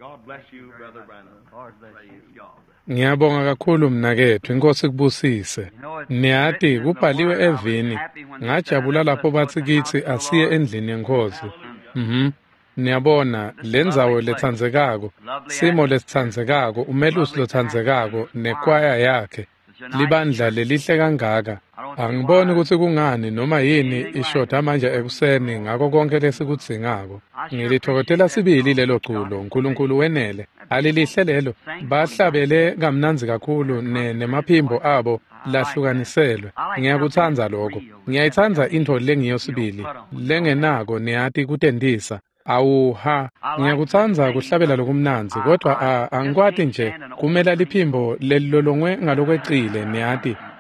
God bless you, Brother Branham. Lord bless you. Ngiyabonga kakhulu mnakethu, inkosi kubusise. Niyati kubhaliwe evini, ngajabula lapho bathi kitsi asiye endlini yenkosi. Niyabona lendzawo letsandzekako, simo lesitsandzekako, umelusi lotsandzekako nekwaya yakhe. Libandla lelihle kangaka. Angiboni kutsi kungani noma yini ishoda manje ekuseni ngako konke lesikudzingako. Ngilithokozela sibili lelo culo, uNkulunkulu wenele. Alilihle lelo. Bahlabele kamnandzi kakhulu nemaphimbo abo lahlukaniselwe. Ngiyakutsandza lokho. Ngiyayitsandza intfo lengiyo sibili, lengenako niyati kutentisa. Awuha, ngiyakutsandza kuhlabela lokumnandzi, kodwa angikwati nje kumela liphimbo lelilolongwe ngalokwecile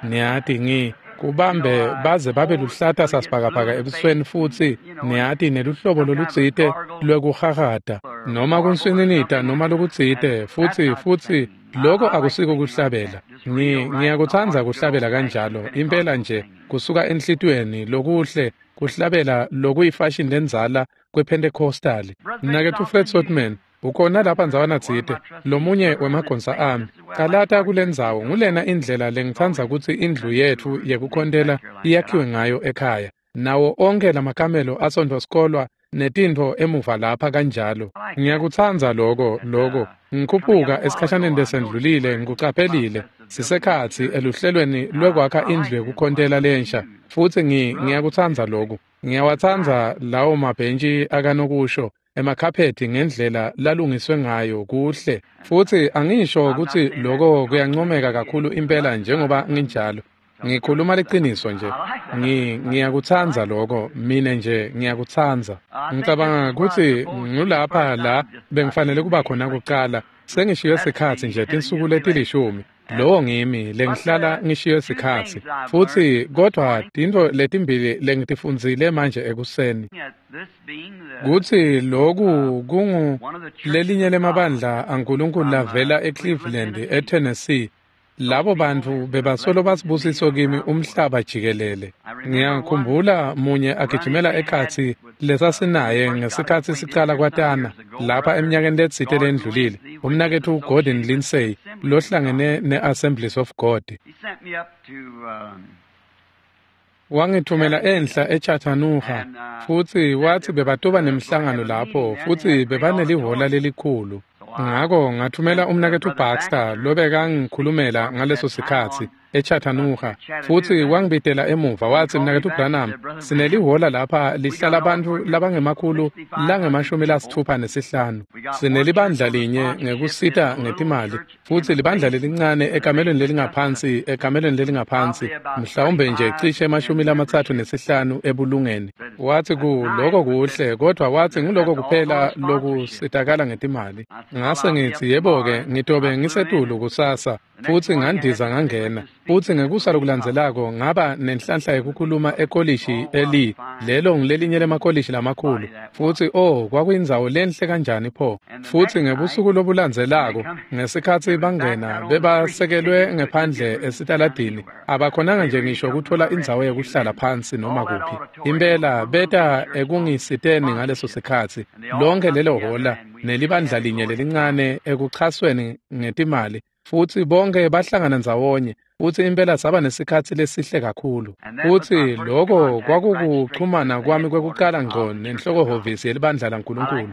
niyati ngi kubambe baze babe luhlata sasibhakabhaka ebusweni futsi niyati neluhlobo lolutsite lwekuhahata noma kunswininita noma lokutsite futsi lokho akusiko kuhlabela. Ngiyakutsandza kuhlabela kanjalo impela nje kusuka enhlitiyweni lokuhle kuhlabela lokuyifashion lendzala kwePentecostal. Mnaketfu Fred Sotman ukhona lapha ndzawana tsite, lomunye wemagonsa ami. Calata kulendzawo ngulena indlela lengitsandza kutsi indlu yetfu yekukhontela iyakhiwe ngayo ekhaya. Nawo onke lamakamelo asontfosikolwa netintfo emuva lapha kanjalo. Ngiyakutsandza lokho. Ngikhuphuka esikhashaneni lesendlulile ngikucaphelile sisekhatsi eluhlelweni lwekwakha indlu yekukhontela lensha futsi ngiyakutsandza lokhu. Ngiyawatsandza lawo mabhentshi akanokusho emakhaphethi ngendlela lalungiswe ngayo kuhle. Futsi angisho kutsi lokho kuyancomeka kakhulu impela njengoba nginjalo. Ngikhuluma liciniso nje. Ngiyakutsandza lokho, mine nje ngiyakutsandza. Ngicabanga kutsi ngulapha la bengifanele kuba khona kucala. Sengishiye sikhatsi nje tinsuku letilishumi. Lowo ngimi lengihlala ngishiye sikhatsi. Futsi kodwa tintfo letimbili lengitifundzile manje ekuseni. Kutsi loku kungu lelinye lemabandla aNkulunkulu lavela eCleveland, eTennessee. Labo bantfu bebasolo basibusiso kimi umhlaba jikelele. Ngiyakhumbula munye agijimela ekhatsi lesasinaye ngesikhatsi sicala kwatana lapha eminyakeni letsite lendlulile, umnaketfu Gordon Lindsay lohlangene ne-Assemblies of God. Wangithumela enhla eChattanooga futsi watsi bebatoba nemhlangano lapho futsi bebanelihola lelikhulu. Ngako ngathumela umnaketfu Baxter lobekangikhulumela ngaleso sikhatsi eChattanooga futsi wangibitela emuva watsi, mnaketfu Branham, sinelihola lapha lihlala bantfu labangemakhulu lange-65. Sinelibandla linye ngekusita ngetimali futsi libandla lelincane ekamelweni lelingaphansi mhlawumbe nje cishe 35 ebulungeni. Watsi ku lokho kuhle, kodwa watsi nguloko kuphela lokusitakala ngetimali. Ngase ngitsi yebo-ke ngitobe ngisetulu kusasa futsi ngandiza ngangena. Futsi ngekusa lokulandzelako ngaba nenhlanhla yekukhuluma ekolishi eLee, lelo ngilelinye lemakolishi lamakhulu. Futsi kwakuyindzawo lenhle kanjani pho. Futsi ngebusuku lobulandzelako ngesikhatsi bangena bebasekelwe ngephandle esitaladini, abakhonanga nje ngisho kutfola indzawo yekuhlala phansi noma kuphi. Impela beta ekungisiteni ngaleso sikhatsi lonke lelo hola nelibandla linye lelincane ekuchasweni ngetimali. Futsi bonke bahlangana ndzawonye futsi impela saba nesikhatsi lesihle kakhulu. Futsi lokho kwakukuchumana kwami kwekucala ngco nenhlokohhovisi yelibandla laNkulunkulu.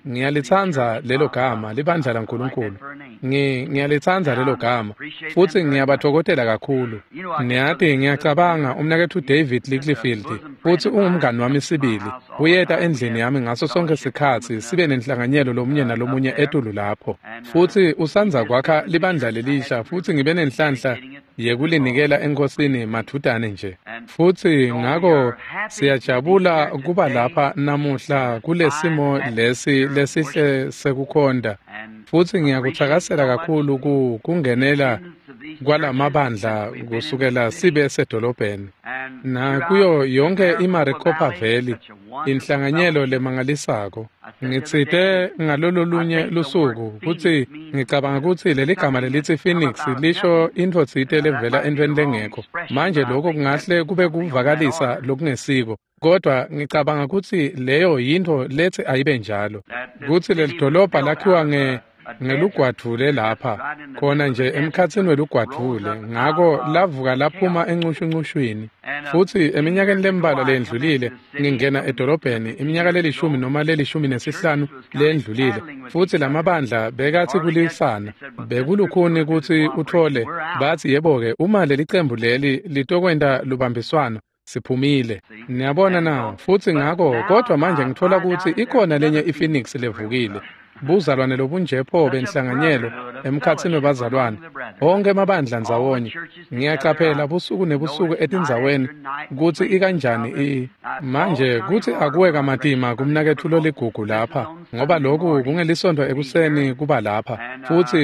Ngiyalitsandza lelo gama, libandla laNkulunkulu. Ngiyalitsandza lelo gama futsi ngiyabathokozela kakhulu. Niyati ngiyacabanga umnaketfu David Littlefield futsi ungumngani wami sibili. Uyeta endlini yami ngaso sonke sikhatsi sibe nenhlanganyelo lomunye nalomunye etulu lapho. Futsi usandza kwakha libandla lelisha futsi ngibe nenhlanhla yekulinikela enkosini madvutane nje. Futsi ngako siyajabula kuba lapha namuhla kulesimo lesi lesihle sekukhonta. Futsi ngiyakutsakasela kakhulu kungenela kwalamabandla kusukela sibe sedolobheni. Nakuyo yonke iMaricopa Valley, inhlanganyelo lemangalisako. Ngitsite ngalololunye lusuku kutsi ngicabanga kutsi leligama lelitsi Phoenix lisho intfo tsite levela entweni lengekho. Manje lokho kungahle kube kuvakalisa lokungesiko, kodwa ngicabanga kutsi leyo yintfo letsi ayibe njalo. Kutsi lelidolobha lakhiwa ngelugwadvule lapha, khona nje emkhatsini welugwadvule, ngako lavuka laphuma encushuncushwini. Futsi eminyakeni lembalwa leyendlulile ngingena edolobheni, iminyaka lelishumi noma 15 leyendlulile, futsi lamabandla bekatsi kulisana, bekulukhuni kutsi utfole, batsi yebo-ke uma lelicembu leli litokwenta lubambiswano, siphumile. Niyabona na? Futsi ngako, kodwa manje ngitfola kutsi ikhona lenye iPhoenix levukile. Buzalwane lobunjepho benhlanganyelo emkhatsini webazalwane, onke emabandla ndzawonye. Ngiyacaphela busuku nebusuku etindzaweni kutsi ikanjani manje kutsi akuwe kamatima kumnaketfu loligugu lapha, ngoba loku kungelisonto ekuseni kuba lapha.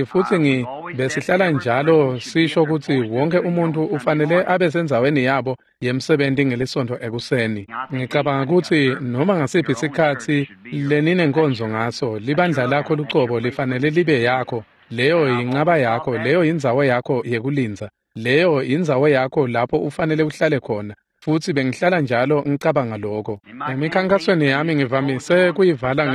Futsi besihlala njalo sisho kutsi wonke umuntu ufanele abe sendzaweni yabo yemsebenti ngelisonto ekuseni. Ngicabanga kutsi noma ngasiphi sikhatsi leninenkonzo ngaso, libandla lakho lucobo lifanele libe yakho. Leyo yincaba yakho, leyo yindzawo yakho yekulindza, leyo yindzawo yakho lapho ufanele uhlale khona. Futsi bengihlala njalo ngicabanga lokho. Emikhankasweni yami ngivamise kuyivala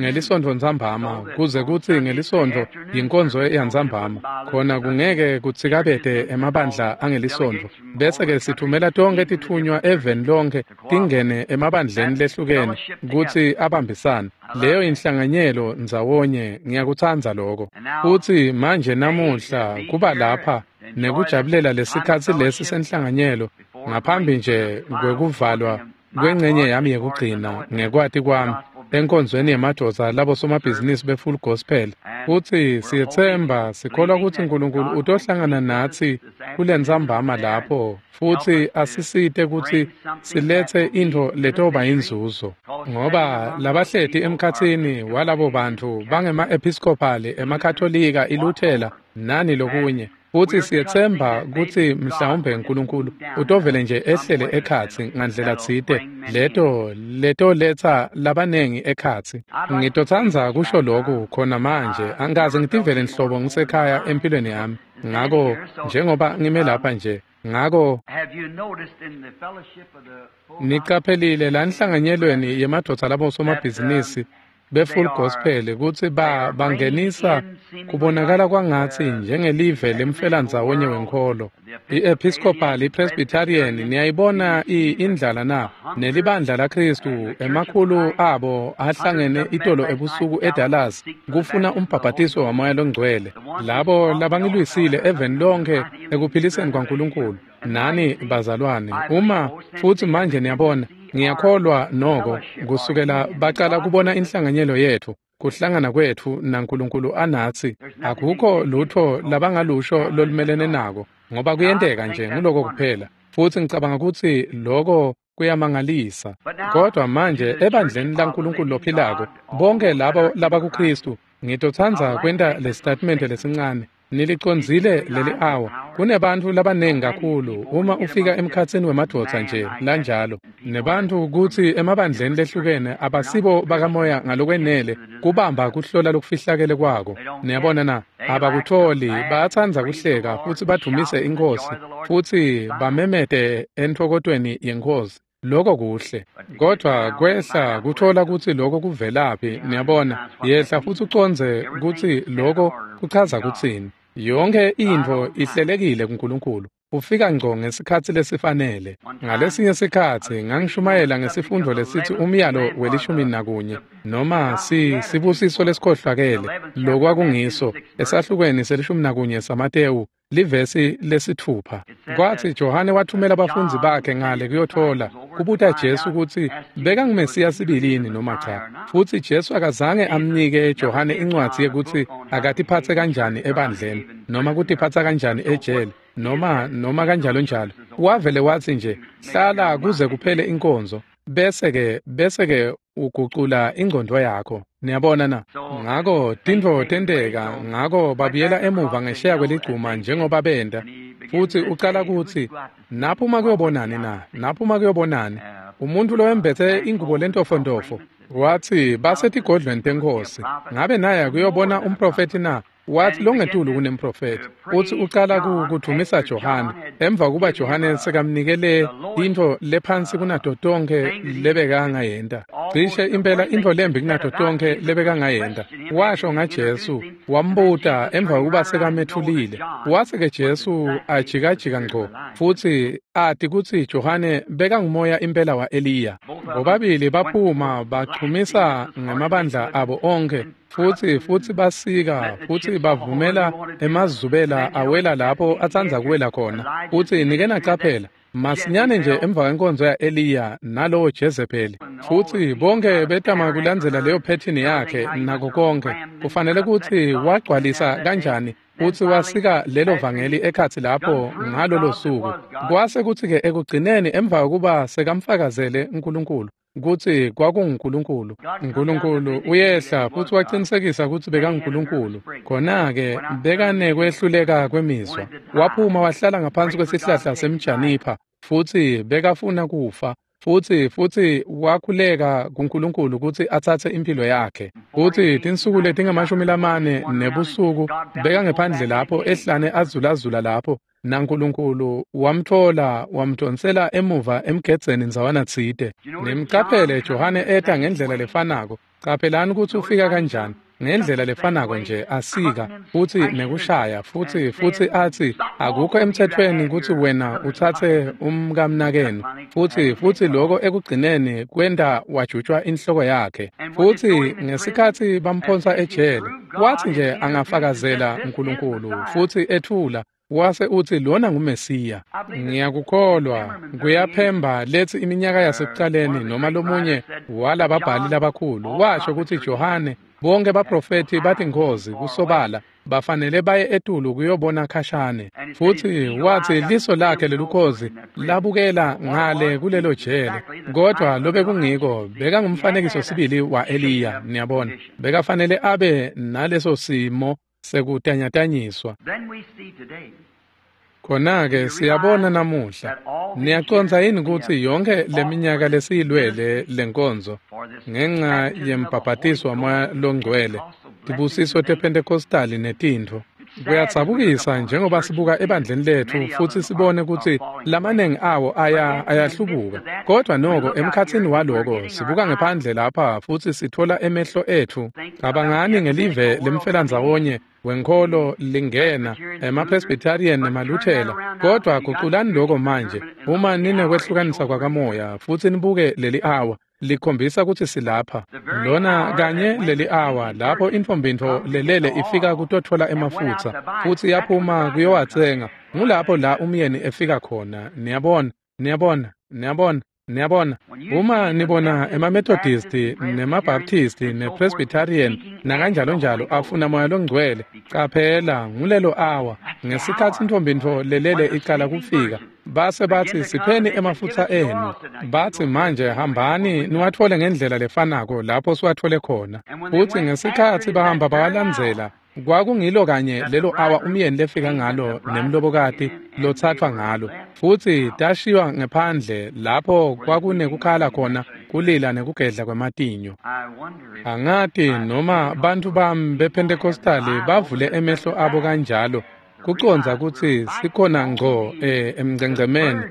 ngelisonto ntsambama, kuze kutsi ngelisonto yinkonzo yantsambama, khona kungeke kutsikabete emabandla angelisonto. Bese-ke sithumela tonke tithunywa eveni lonke tingene emabandleni lehlukene kutsi abambisane. Leyo inhlanganyelo ndzawonye, ngiyakutsandza lokho. Futsi manje namuhla kuba lapha nekujabulela lesikhatsi lesi senhlanganyelo ngaphambi nje kwekuvalwa kwengcenye yami yekugcina ngekwati kwami enkonzweni yemadvodza labosomabhizinisi be-Full Gospel. Futsi siyetsemba sikholwa kutsi Nkulunkulu utohlangana natsi kulentsambama lapho futsi asisite kutsi siletse intfo letoba inzuzo, ngoba labahleti emkhatsini walabo bantfu bangema-Episcopali, emaKatolika, iLuthela nani lokunye. Futsi siyetsemba kutsi mhlawumbe Nkulunkulu utovele nje ehlele ekhatsi ngandlela tsite letoletsa labanengi ekhatsi. Ngitotsandza kusho lokhu khona manje, angikaze ngitivele nhlobo ngisekhaya empilweni yami. Ngako njengoba ngime lapha nje, ngako niqaphelile la nhlanganyelweni yemadvodza labosomabhizinisi be-Full Gospel kutsi bangenisa kubonakala kwangatsi njengelive lemfelandzawonye wenkholo. I-Episcopal, i-Presbyterian, niyayibona indlala na? Nelibandla laKhristu, emakhulu abo ahlangene itolo ebusuku eDallas kufuna umbhabhatiso waMoya loNgcwele. Labo labangilwisile eveni lonke ekuphiliseni kwaNkulunkulu. Nani bazalwane, uma futsi manje niyabona, ngiyakholwa noko kusukela bacala kubona inhlanganyelo yethu, kuhlangana kwetfu naNkulunkulu anatsi, akukho lutho labangalusho lolumelene nako, ngoba kuyenteka nje nguloko kuphela. Futsi ngicabanga kutsi loko kuyamangalisa. Kodwa manje ebandleni laNkulunkulu lophilako, bonke labo labakuKhristu, ngitotsandza kwenta lesitatimende lesincane. Nilicondzile leli awa. Kunebantfu labanengi kakhulu uma ufika emkhatsini wemadvodza nje lanjalo, nebantfu kutsi emabandleni lehlukene abasibo bakamoya ngalokwenele kubamba kuhlola lokufihlakele kwako. Niyabona na? Abakutholi, bayatsandza kuhleka futsi badumise iNkhosi futsi bamemete entfokotweni yeNkhosi. Lokho kuhle, kodwa kwehla kuthola kutsi lokho kuvelaphi. Niyabona, yehla futsi ucondze kutsi lokho kuchaza kutsini. Yonke intfo ihlelekile kuNkulunkulu. Ufika ngco ngesikhatsi lesifanele. Ngalesinye sikhatsi ngangishumayela ngesifundo lesitsi umyalo we-11 noma sibusiso lesikhohlakele, lokwakungiso esahlukweni se-11 saMatewu livesi 6. Kwatsi Johane wathumela abafundzi bakhe ngale kuyothola kubuta Jesu kutsi bekanguMesiya sibilini noma cha. Futsi Jesu akazange amnike Johane incwadzi yekutsi akatiphatse kanjani ebandleni noma kutiphatsa kanjani ejele noma kanjalo njalo. Wavele watsi nje hlala kuze kuphele inkonzo, bese ke Ugucula ingqondo yakho. Niyabona na? Ngako tintfo tenteka, ngako babuyela emuva ngesheya kweligcuma njengoba benta. Futhi ucala kutsi naphuma kuyobonani na? Naphuma kuyobonani? Umuntu lowembethe ingubo lentofontofo. Wathi basetigodlweni tenkosi. Ngabe naye kuyobona umprofeti na? Wathi longetulu kunemprofeti. Uthi ucala kudumisa Johane. Emva kuba Johane sekamnikele intfo lephansi kunato tonkhe lebekangayenta. Cishe impela intfo lembi kunato tonkhe lebekangayenta. Washo ngaJesu, wambuta emva kuba sekamethulile. Wase ke Jesu ajikajika ngco futhi ati kutsi Johane bekangumoya impela wa-Eliya. Bobabili baphuma bachumisa ngemabandla abo onke. Futhi basika futhi bavumela emazubela awela lapho atsandza kuwela khona. Futhi nike nacaphela masinyane nje emva kwenkonzo ya-Eliya nalowo Jezebeli. Futhi bonke betama kulandzela leyo phethini yakhe nako konke. Kufanele kutsi wagcwalisa kanjani futhi wasika lelo vangeli ekhatsi lapho ngalolo suku. Kwase kutsi-ke ekugcineni emva kokuba sekamfakazele uNkulunkulu kutsi kwakunguNkulunkulu. uNkulunkulu uyehla futhi waqinisekisa kutsi bekanguNkulunkulu. Khona-ke bekanekwehluleka kwemizwa. Waphuma wahlala ngaphansi kwesihlahla semjanipha futhi bekafuna kufa. Futhi wakhuleka kuNkulunkulu kutsi atsatse impilo yakhe. Futhi tinsuku letingamashumi lamane nebusuku bekangephandle lapho ehlane azulazula lapho naNkulunkulu wamthola wamdonsela emuva emgedzeni ndzawana tsite. Nimcaphele Johane eta ngendlela lefanako. Caphelani kutsi ufika kanjani. Ngendlela lefanako nje asika futhi nekushaya futhi athi akukho emthethweni kutsi wena utsatse umkamnakenu. Futhi lokho ekugcineni kwenta wajutshwa inhloko yakhe. Futhi ngesikhatsi bamphonsa ejele wathi nje angafakazela uNkulunkulu futhi ethula wase uthi lona nguMesiya. Ngiyakukholwa kuyaphemba lethi iminyaka yasekucaleni noma lomunye walababhali labakhulu washo kutsi Johane bonke baprofethi bathi Nkosi kusobala bafanele baye etulu kuyobona khashane. Futhi wathi liso lakhe lelukhozi labukela ngale kulelo jele, kodwa lobe kungiko bekangumfanekiso sibili wa-Eliya. Niyabona, bekafanele abe naleso simo sekutanyatanyiswa. Khona-ke siyabona namuhla. Niyacondza yini kutsi yonke leminyaka lesiyilwele lenkonzo ngenxa yembhabhatiso waMoya loNgcwele, tibusiso tePentecostali netintfo. Kuyatsabukisa njengoba sibuka ebandleni letfu futhi sibone kutsi lamanengi awo ayahlubuka. Kodwa noko emkhatsini waloko sibuka ngephandle lapha futhi sithola emehlo etfu. Cabangani ngelive lemfelandzawonye wenkholo lingena emaPresbyterian nemaLuthela. Kodwa guculani lokho manje uma ninekwehlukanisa kwakamoya futhi nibuke leli awa likhombisa kutsi silapha. Lona kanye leli awa lapho intfombintfo lelele ifika kutothola emafutsa futhi yaphuma kuyowatsenga. Ngulapho la umyeni efika khona. Niyabona, niyabona, niyabona, niyabona. Uma nibona emaMethodisti nemaBaptisti nePresbyterian nakanjalo njalo afuna Moya loNgcwele, caphela ngulelo awa ngesikhatsi intfombintfo lelele icala kufika. Base bathi sipheni emafutsa enu. Bathi manje hambani niwathole ngendlela lefanako lapho siwathole khona. Futhi ngesikhatsi bahamba bawalandzela, kwakungilo kanye lelo awa umyeni lefika ngalo nemlobokati lotsathwa ngalo. Futhi tashiywa ngephandle lapho kwakunekukhala khona kulila nekugedla kwematinyo. Angati noma bantfu bami bePentecostali bavule emehlo abo kanjalo kucondza kutsi sikhona ngco emngcengcemeni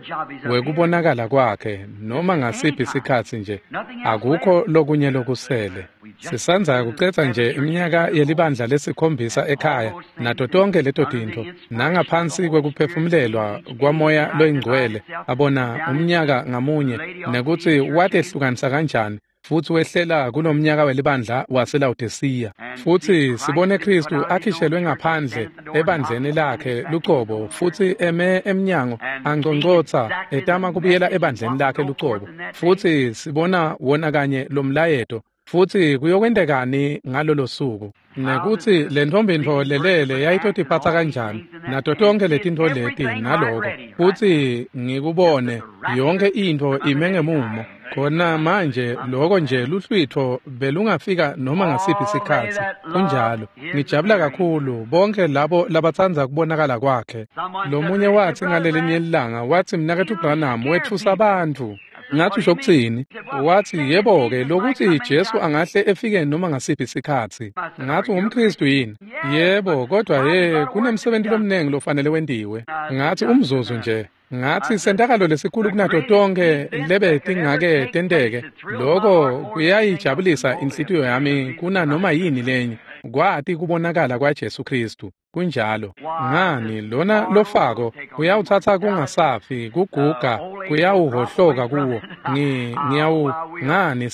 wekubonakala kwakhe noma ngasiphi sikhatsi nje. Akukho lokunye lokusele. Sisandza kucedza nje iminyaka yelibandla lesikhombisa ekhaya nato tonke leto tintfo nangaphansi kwekuphefumulelwa kwaMoya loyiNgcwele abona umnyaka ngamunye nekutsi watehlukanisa kanjani futhi wehlela kulomnyaka welibandla waseLawodisiya. Futhi sibone Kristu akhishelwe ngaphandle ebandleni lakhe lucobo futhi eme emnyango angcongcotsa etama kubuyela ebandleni lakhe lucobo. Futhi sibona wona kanye lomlayeto. Futhi kuyokwentekani ngalolo suku nekuthi le ntombintfo lelele yayitotiphatsa kanjani nato tonke letintfo leti naloko. Futhi ngikubone yonke intfo ime ngemumo. Khona manje lokho nje luhlwitho belungafika noma ngasiphi sikhatsi. Kunjalo. Ngijabula kakhulu bonke labo labatsandza kubonakala kwakhe. Lomunye wathi ngalelinye ilanga wathi mnaketfu Branham wetfusa abantu. Ngathi usho kutsini? Wathi yebo-ke lokuthi Jesu angahle efike noma ngasiphi sikhatsi. Ngathi ungumKhristu yini? Yebo, kodwa he kunemsebenti lomnengi lofanele wentiwe. Ngathi umzuzu nje. Ngathi sentakalo lesikhulu kunato tonke lebe tingake tenteke. Lokho kuyayijabulisa inhlitiyo yami kuna noma yini lenye. Kwati kubonakala kwaJesu Kristu. Kunjalo. Ngani lona lofako uyawuthatha kungasafi kuguga kuyawuhohloka kuwo. Ngiyawu ngani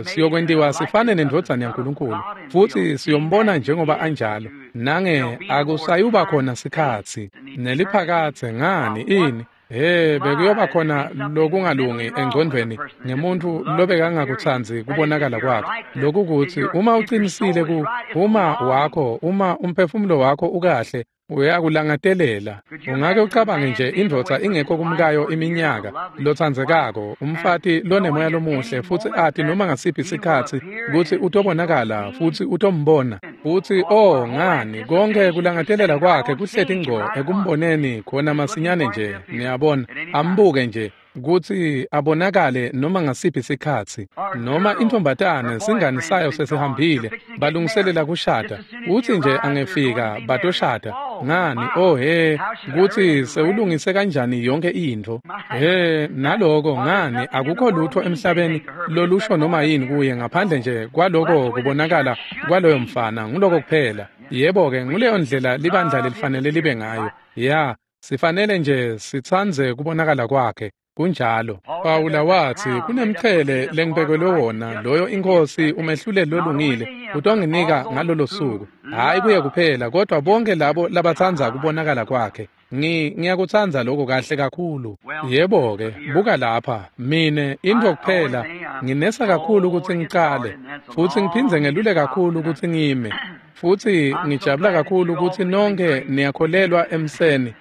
siyokwentiwa sifane nendvodzana yaNkulunkulu futhi siyombona njengoba anjalo. Nange akusayuba khona sikhatsi neliphakathe ngani ini. Hey, bekuyoba khona lokungalungi engcondvweni ngemuntu lobekangakutsanzi kubonakala kwakhe. Lokukuthi uma uqinisile uma wakho, uma umphefumulo wakho ukahle, uyakulangatelela. Ungake ucabange nje indvodza ingekho kumkayo iminyaka, lotsandzekako, umfati lonemoya lomuhle futhi ati noma ngasiphi sikhatsi kutsi utobonakala futhi utombona. Futhi oh ngani konke kulangatelela kwakhe kuhleti ngco ekumboneni khona masinyane nje, niyabona, ambuke nje kutsi abonakale noma ngasiphi sikhatsi. Noma intombatane singani sayo sesihambile balungiselela kushada, uthi nje angefika batoshada. Ngani oh he kutsi sewulungise kanjani yonke intfo. He naloko ngani akukho lutho emhlabeni lolusho noma yini kuye ngaphandle nje kwaloko kubonakala kwaloyo mfana, nguloko kuphela. Yebo-ke nguleyo ndlela libandla lelifanele libe ngayo. Ya, sifanele nje sitsandze kubonakala kwakhe. Kunjalo. Pawula wathi kunemqhele lengibekelwe wona loyo inkosi umehluleli lolungile utonginika ngalolo suku. Hayi kuye kuphela kodwa bonke labo labatsandza kubonakala kwakhe. Ngiyakutsandza lokho kahle kakhulu. Yebo-ke, buka lapha, mine intfo kuphela nginesa kakhulu ukuthi ngicale futhi ngiphindze ngelule kakhulu ukuthi ngime. Futhi ngijabula kakhulu ukuthi nonke niyakholelwa emseni.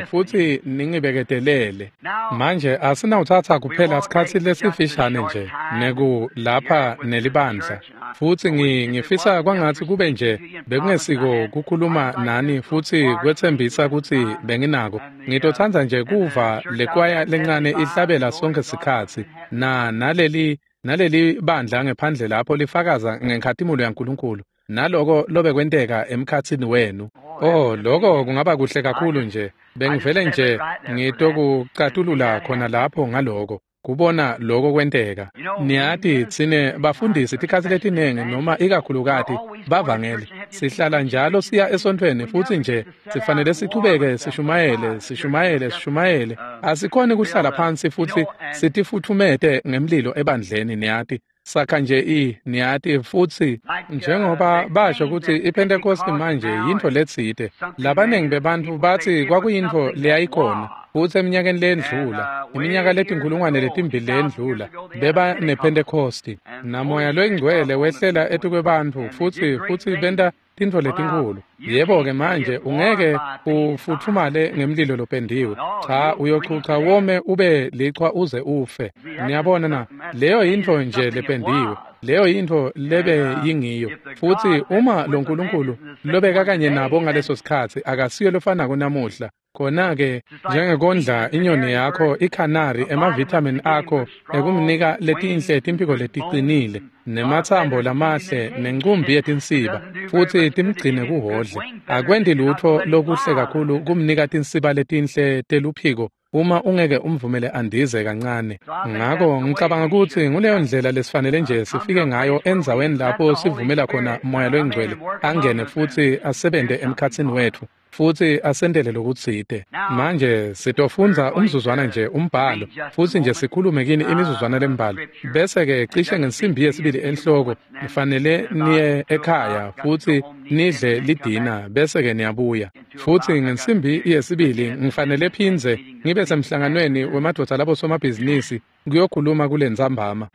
Futhi ningibeketelele. Manje asinawuthatha kuphela sikhatsi lesifishane nje neku lapha nelibandla. Futhi ngifisa kwangathi kube nje bekungesiko kukhuluma nani futhi kwetsembisa kutsi benginako. Ngitotsandza nje kuva lekwaya lencane ihlabela sonke sikhatsi na naleli bandla ngephandle lapho lifakaza ngenkhatimulo yaNkulunkulu. Naloko lobekwenteka emkhatsini wenu. Oh, lokho kungaba kuhle kakhulu nje. Bengivele nje ngitokucatulula khona lapho ngaloko kubona lokho kwenteka. Niyati tsine bafundisi tikhatsi letinengi noma ikakhulukati bavangeli sihlala njalo siya esontfweni futhi nje sifanele sichubeke sishumayele sishumayele sishumayele. Asikhoni kuhlala phansi futhi sitifutfumete ngemlilo ebandleni niyati. Sakha nje niyati futhi njengoba basho ukuthi iPentecost manje yintfo letsite. Labanengi bebantfu bathi kwakuyintfo leyayikhona futhi eminyakeni lendlula, iminyaka letinkhulungwane letimbili lendlula beba nePentecost. Namoya loyingcwele wehlela etukwebantfu futhi benta tintfo letinkulu. Yebo-ke manje ungeke ufutfumale ngemlilo lopendiwe. Cha, uyochucha wome ube lichwa uze ufe. Niyabona na, leyo yintfo nje lependiwe. Leyo yintfo lebe yingiyo. Futhi uma lo Nkulunkulu lobeka kanye nabo ngaleso sikhatsi akasiyo lofanako namuhla. Khona-ke njengekondla inyoni yakho ikhanari emavithamini akho ekumnika letinhle timphiko letiqinile nematsambo lamahle nencumbi yetinsiba futhi timgcine kuhodle. Akwendi lutho lokuhle kakhulu kumnika tinsiba letinhle teluphiko uma ungeke umvumele andize kancane. Ngakho ngicabanga ukuthi nguleyo ndlela lesifanele nje sifike ngayo endzaweni lapho sivumela khona moya loyingcwele angene futhi asebente emkhatsini wethu futhi asendele lokutsite. Manje sitofundza umzuzwana nje umbhalo futhi nje sikhulume kini imizuzwana lembalwa bese-ke cishe ngensimbi yesibili enhloko nifanele niye ekhaya futhi nidle lidina bese-ke niyabuya. Futhi ngensimbi yesibili ngifanele phindze ngibe semhlanganweni wemadvodza labo somabhizinisi kuyokhuluma kule ntsambama.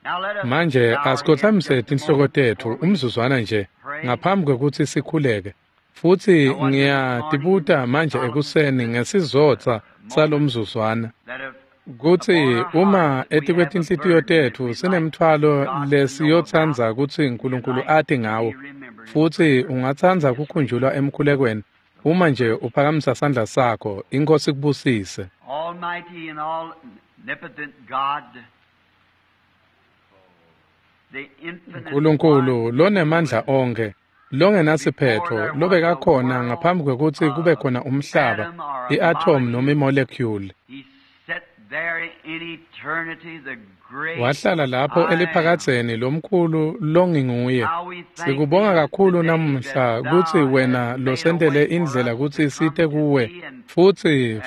Manje asikhothamise tinhloko tetfu umzuzwana nje ngaphambi kwekutsi sikhuleke. Futhi ngiyatibuta manje ekuseni ngesizotsa salomzuzwana. Kutsi uma etikwetinhlitiyo tetfu sinemtfwalo lesiyotsandza kutsi Nkulunkulu ati ngawo, futsi ungatsandza kukhunjulwa emkhulekweni, uma nje uphakamisa sandla sakho, iNkhosi kubusise. Almighty and all-omnipotent God, the infinite Nkulunkulu one, lonemandla onkhe, longenasiphetho, lobekakhona ngaphambi kwekutsi kube khona umhlaba, i-atom noma i-molecule. He sat there in eternity, the great Wahlala lapho I am. eliphakadzeni lomkhulu longinguye. How we thank Sikubonga thee kakhulu today namuhla that kutsi thou wena hast made a losentele way for indlela us kutsi to come site to kuwe thee and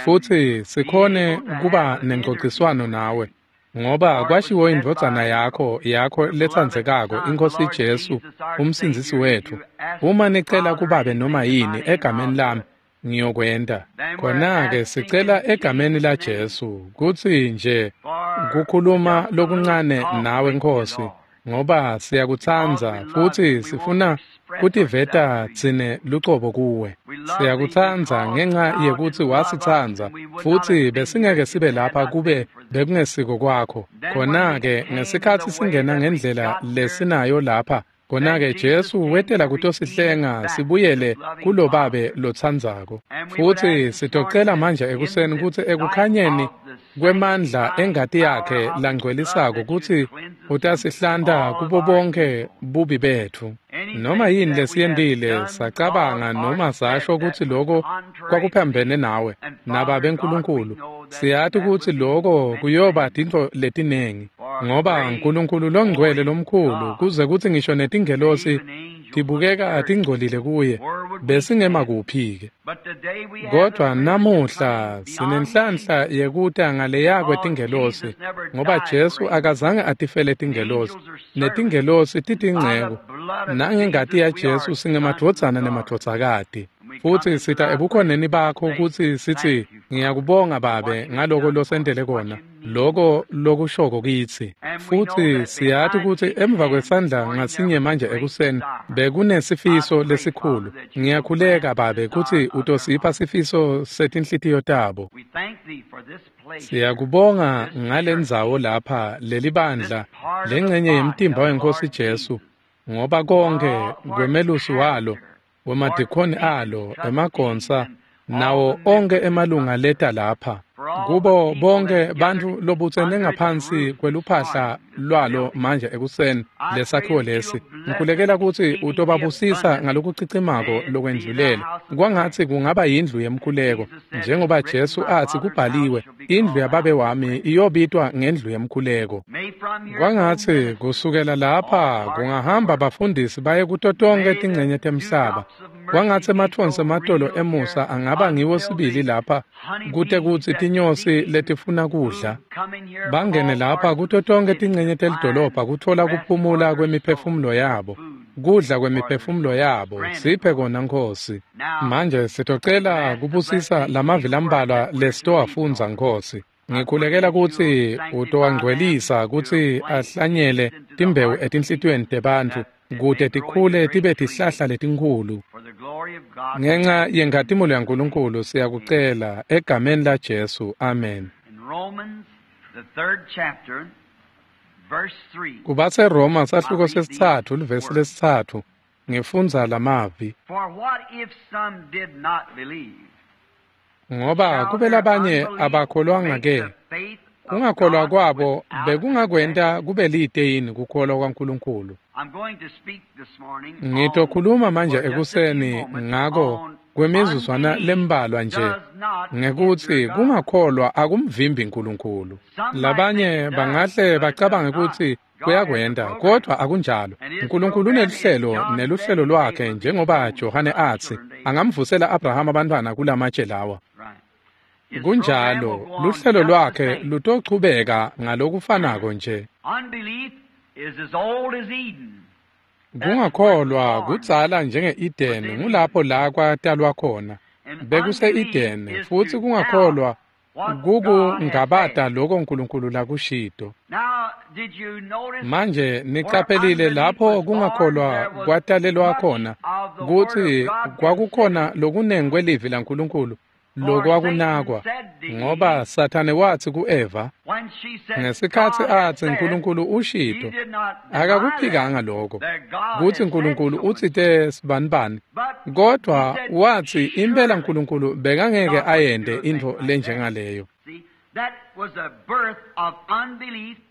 futsi sikhone be able to kuba have an nencociswano interview nawe. Ngoba For it was kwashiwo said indvodzana by yakho the beloved letsandzekako, Son, the iNkhosi Lord Jesu, Jesus, our umsindzisi Savior, if wethu. you ask Uma the nicela Father kubabe noma anything in my yini name, egameni I'll do lami, it. ngiyokwenta. Then we're Khona-ke asking sicela in egameni la Jesus' name Jesu kutsi nje for kukhuluma just a little lokuncane talk nawe with you, Nkhosi, Lord. ngoba Because siyakutsandza we love you, futsi we want to sifuna express kutiveta ourselves to you. tsine lucobo kuwe. We love thee Siyakutsandza because ngenxa thou yekutsi didst love us, wasitsandza and we would not futsi have been here besingeke if sibe it had lapha not been kube for thee. bekungesiko kwakho. Then when we Khona-ke came ngesikhatsi the way singena that we ngendlela got here, lesinayo lapha, then khona-ke Jesus Jesu came to wetela redeem us kutosihlenga back to sibuyele this loving kulobabe Father. lotsandzako. And we would Futsi ask this morning sitocela that manje in ekuseni the kutsi light ekukhanyeni of the kwemandla sanctifying engati power yakhe of his blood langcwelisako that you'd kutsi cleanse us from utasihlanta all of kubo our bonke evil. bubi betfu. Noma Anything yini that we have lesiyentile done, sacabanga thought, or noma said sasho that kutsi was loko contrary to kwakuphambene thee, nawe and nababe Father God, we Nkulunkulu, know that siyati that kutsi would be loko many kuyoba things. tintfo letinengi. For Ngoba great Nkulunkulu longcwele holy lomkhulu God, kuze kutsi ngisho netingelosi even angels look tibukeka dirty. tingcolile kuye, Where would we besingema stand? kuphi-ke? But today we have the Kodwa privilege of namuhla coming beyond sinenhlanhla angels yekuta ngaleya because kwetingelosi, Jesus never ngoba died for Jesu angels. akazange atifele tingelosi, Angels are servants. netingelosi And by the titinceku. blood of Nangengati Jesus, we yaJesu are sons and singemadvodzana daughters. nemadvodzakati. And we come Futsi into sita thy ebukhoneni presence to bakho say, kutsi sitsi, thank you, Father, ngiyakubonga for what Babe you've ngaloko done for us, losentele what kona, you mean to loko us. lokushoko kitsi. And we know Futsi that siyati behind kutsi each emva hand this kwesandla morning there ngasinye was a manje great ekuseni desire. I bekunesifiso pray, Father, lesikhulu. that you will Ngiyakhuleka grant the Babe kutsi desire of their utosipha heart. sifiso setinhlitiyo tabo. We thank thee for this place here, Siyakubonga this church, ngalendzawo lapha this lelibandla part of the lengcenye body yemtimba of the weNkhosi Lord Jesu, Jesus, ngoba for konkhe all, for its kwemelusi walo, pastor, for its wemadikhoni deacons, alo, trustees, emagonsa, and all nawo the onkhe members that come emalunga here, leta lapha. for all the Kubo people bonke that's gathered bantfu lobutsene under its ngaphansi roof this kweluphahla morning, this lwalo building. manje ekuseni I pray lesakhiwo that lesi. you'll bless it Ngikhulekela kutsi exceedingly utobabusisa abundantly. ngalokucicimako May it be thy lokwendlulele. house of prayer. Kwangatsi kungaba yindlu As yemkhuleko, Jesus said, it's njengoba written, Jesu my atsi Father's house kubhaliwe, shall be indlu called a yababe house of wami prayer. iyobitwa ngendlu yemkhuleko. May from here go Kwangatsi ministers kusukela all lapha parts of the kungahamba world. bafundisi baye kuto tonkhe May the tincenye temhlaba. dewdrops of mercy Kwangatsi be emathonsi so ematolo real here emusa angaba ngiwo until sibili the lapha kute honeybees kutsi that tinyosi seeking letifuna kudla food come in here from bangene all lapha parts of kuto the tonkhe city to tincenye find telidolobha kutfola rest for kuphumula their souls, kwemiphefumulo yabo, food kudla for their kwemiphefumulo souls. yabo. Grant it, Siphe Lord. kona Nkhosi. Now, Manje sitocela ask to bless kubusisa these lamavi few words lambalwa that we're to read, lesitowafundza Lord. Nkhosi. I pray Ngikhulekela that you'll kutsi sanctify them utowangcwelisa to kutsi plant ahlanyele seeds into the timbewu hearts of people etinhlitiyweni tebantfu that it may kute grow into tikhule great tibe trees. tihlahla letinkhulu. For the glory of God we Ngenxa ask it in yenkhatimulo Jesus' name. yaNkulunkulu Amen. siyakucela egameni laJesu. Amen. In Romans, the 3rd chapter, verse 3, KubaseRoma I sahluko read these sesitsatfu livesi words. lesitsatfu ngifundza lamavi. For what if some did not believe? Ngoba Shall kube their labanye unbelief abakholwanga make ke, the faith of kungakholwa God kwabo without bekungakwenta effect? kube lite yini kukholwa kwaNkulunkulu? I'm going to speak this morning on, Ngitokhuluma manje for just a few ekuseni moments, ngako on kwemizuzwana unbelief lembalwa nje does not hinder ngekutsi God. kungakholwa akumvimbi Nkulunkulu. Some might think Labanye it does, bangahle but it does bacabange not. kutsi God has a kuyakwenta, program. kodwa akunjalo. And his Nkulunkulu program is, uneluhlelo John said, neluhlelo they lwakhe will be njengoba stones for Johane thy atsi children to angamvusela Abrahama abantwana kulamatshe lawa. Right. His program will Kunjalo, go on luhlelo just the lwakhe same. lutochubeka ngalokufanako nje. Unbelief is as old as Eden. That's where it was Kungakholwa born kudzala njenge-Edeni, within ngulapho Eden. la kwatalwa khona. And unbelief Bekuse-Edeni is futsi to doubt kungakholwa what God has kukungabata said. loko Nkulunkulu lakushito. Now, did you notice Manje where niqaphelile unbelief lapho was born, kungakholwa there was kwatalelwa much khona of the Word of kutsi God kwakukhona considered lokunengi kwelivi laNkulunkulu Lokwakunakwa, ngoba Sathane wathi kuEva, ngesikhatsi atsi Nkulunkulu ushito, akakuphikanga lokho, kutsi Nkulunkulu utsite sibanibani, kodwa wathi impela Nkulunkulu bekangeke ayente intfo lenjengaleyo.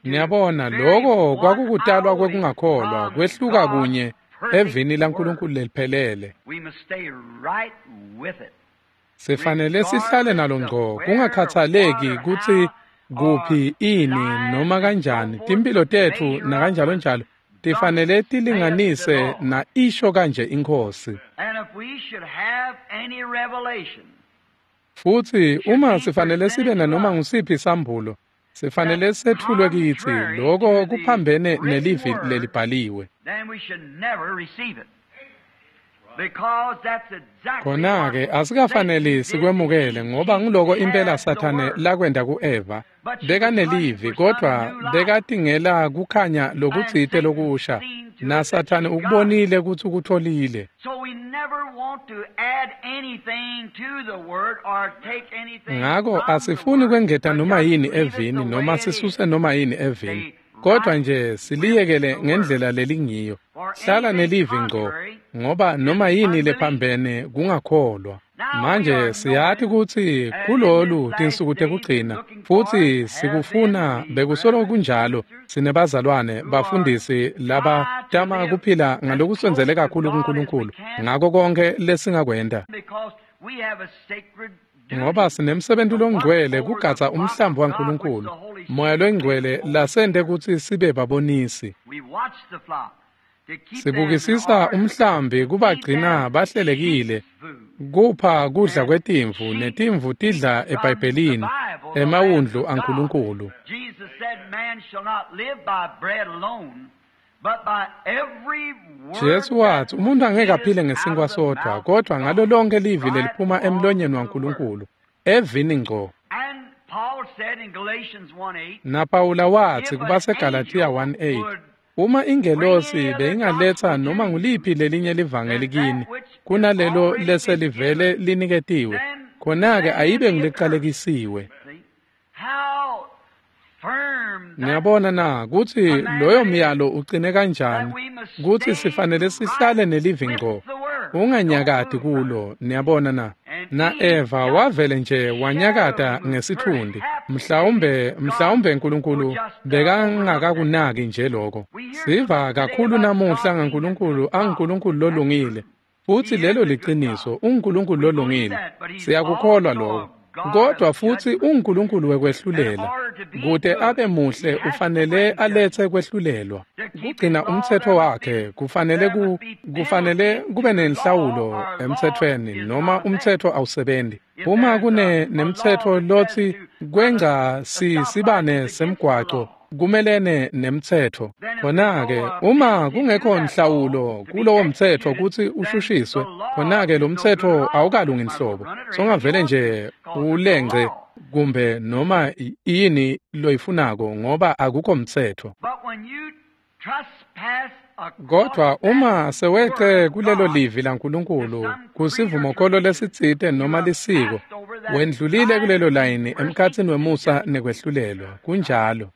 Niyabona, lokho kwakukutalwa kwekungakholwa, kwehluka kunye evini laNkulunkulu leliphelele. Sifanele sihlale nalo ngco, kungakhathaleki kutsi kuphi, ini, noma kanjani, timphilo tetfu nakanjalo njalo tifanele tilinganise na isho kanje iNkhosi. Futsi uma sifanele sibe nanoma ngusiphi sambulo, sifanele sethulwe kitsi, lokho kuphambene nelivi lelibhaliwe. Khona-ke asikafaneli sikwemukele, ngoba nguloko impela Sathane lakwenta ku-Eva. Bekanelivi, kodwa bekatingela kukhanya lokutsite lokusha, naSathane ukubonile kutsi ukutholile. Ngako asifuni kwengeta noma yini evini noma sisuse noma yini evini, kodwa nje siliyekele ngendlela lelingiyo. Hlala nelivi ngco, ngoba noma yini lephambene kungakholwa. Manje siyati kutsi kulolu tinsuku tekugcina, futsi sikufuna bekusolo kunjalo, sinebazalwane bafundisi labatama kuphila ngalokusondzele kakhulu kuNkulunkulu ngako konke lesingakwenta, ngoba sinemsebenti longcwele kugadza umhlambi waNkulunkulu, Moya longcwele lasente kutsi sibe babonisi. Sibukisisa umhlambi kubagcina bahlelekile, kupha kudla kwetimvu, netimvu tidla eBhayibhelini, emawundlu aNkulunkulu. Jesu wathi umuntu angeke aphile ngesinkwa sodwa, kodwa ngalo lonke livi leliphuma emlonyeni waNkulunkulu, evini ngco. NaPawula wathi kubaseGalathiya 1:8, uma ingelosi beyingaletsa noma nguliphi lelinye livangeli kini kunalelo leselivele liniketiwe, khona-ke ayibe nguleqalekisiwe. Niyabona na kutsi loyo myalo ucine kanjani, kutsi sifanele sihlale nelivi ngco, unganyakati kulo. Niyabona na? Na-Eva wavele nje wanyakata ngesithundi. Mhlawumbe Nkulunkulu bekangakakunaki nje lokho. Siva kakhulu namuhla ngaNkulunkulu anguNkulunkulu lolungile, futsi lelo liciniso, unguNkulunkulu lolungile. Siyakukholwa lokho. Kodwa futsi unguNkulunkulu wekwehlulela. Kute abe muhle ufanele aletse kwehlulelwa. Kugcina umtsetfo wakhe kufanele kube nenhlawulo emtsetfweni, noma umtsetfo awusebenzi. Uma kune nemtsetfo lotsi kwenca sibane semgwaco kumelene nemtsetfo, khona-ke uma kungekho nhlawulo kulowo mtsetfo kutsi ushushiswe, khona-ke lo mtsetfo awukalungi nhlobo. Songavele nje ulengce kumbe noma yini loyifunako, ngoba akukho mtsetfo. Kodwa uma sewece kulelo livi laNkulunkulu kusivumokholo lesitsite noma lisiko, wendlulile kulelo layini emkhatsini wemusa nekwehlulelwa. Kunjalo.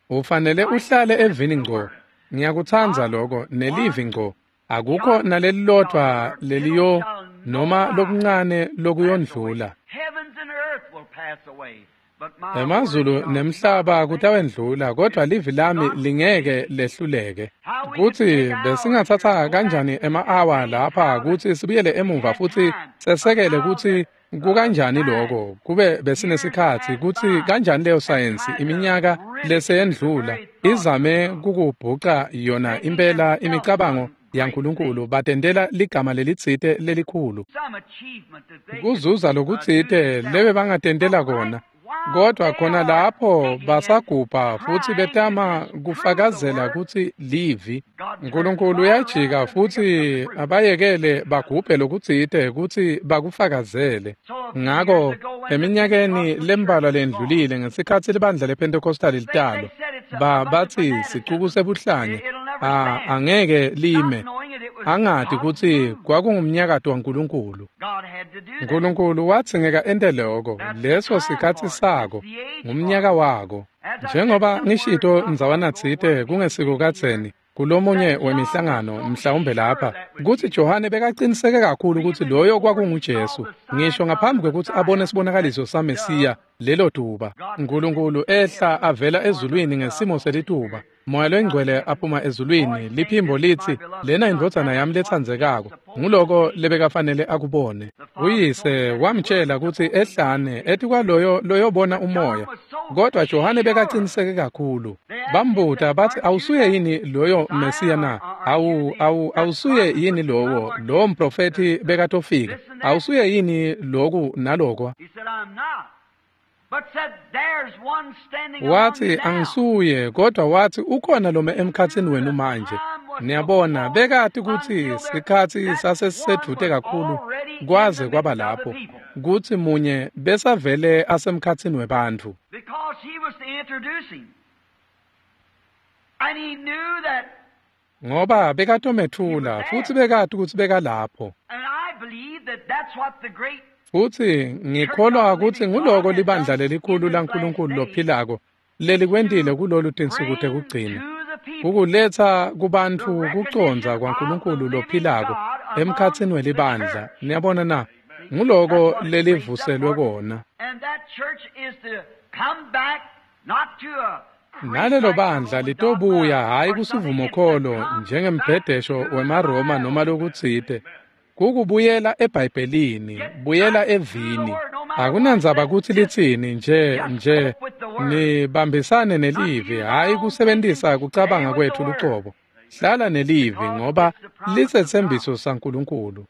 Ufanele uhlale evini ngco. Ngiyakutsandza lokho, nelivi ngco. Akukho nalelilodvwa leliyo noma lokuncane lokuyondlula. Emazulu nemhlaba kutawendlula, kodwa livi lami lingeke lehluleke. Kutsi besingatsatsa kanjani ema-awa lapha kutsi sibuyele emuva futsi sesekele kutsi kukanjani lokho, kube besinesikhatsi kutsi kanjani leyo sayensi iminyaka leseyendlula izame kukubhuca yona impela imicabango yaNkulunkulu, batentela ligama lelitsite lelikhulu, kuzuza lokutsite lebe bangatentela kona. Kodwa khona lapho basagubha futsi betama kufakazela kutsi livi, Nkulunkulu uyajika futsi abayekele bagubhe lokutsite kutsi bakufakazele. Ngako eminyakeni lembalwa lendlulile, ngesikhatsi libandla lePentecostal litalwa, batsi sicuku sebuhlanya, angeke lime. Angati kutsi kwakungumnyakato waNkulunkulu. Nkulunkulu wadzingeka ente loko, leso sikhatsi sako, ngumnyaka wako. Njengoba ngishito ndzawana tsite kungesiko kadzeni, kulomunye wemihlangano mhlawumbe lapha, kutsi Johane bekaqiniseke kakhulu kutsi loyo kwakunguJesu, ngisho ngaphambi kwekutsi abone sibonakaliso saMesiya lelo tuba. Nkulunkulu ehla avela ezulwini ngesimo selituba. Moya loyingcwele aphuma ezulwini, liphimbo litsi, lena indvodzana yami letsandzekako. Nguloko lebekafanele akubone. Uyise wamtshela kutsi ehlane etikwaloyo loyobona umoya. Kodwa Johane bekaqiniseke kakhulu. Bambuta batsi awusuye yini loyo Mesiya na? Awusuye yini lowo mprofethi bekatofika? Awusuye yini loku nalokwa? Wathi angisuye, kodwa wathi ukhona lome emkhatsini wenu manje. Niyabona, bekati kutsi sikhatsi sasesisedvute kakhulu kwaze kwaba lapho kutsi munye besavele asemkhatsini webantfu. Ngoba bekatomethula futsi bekati kutsi bekalapho. Futsi ngikholwa kutsi nguloko libandla lelikhulu laNkulunkulu lophilako lelikwentile kulolu tinsuku tekugcina, kukuletsa kubantfu kucondza kwaNkulunkulu lophilako emkhatsini welibandla. Niyabona na? Nguloko lelivuselwe kona. Nalelo bandla litobuya hhayi kusivumokholo njengembhedesho wemaRoma noma lokutsite. Kukubuyela eBhayibhelini, buyela evini. Akunandzaba kutsi litsini nje nibambisane nelivi, hhayi kusebentisa kucabanga kwetfu lucobo. Hlala nelivi ngoba lisetsembiso saNkulunkulu.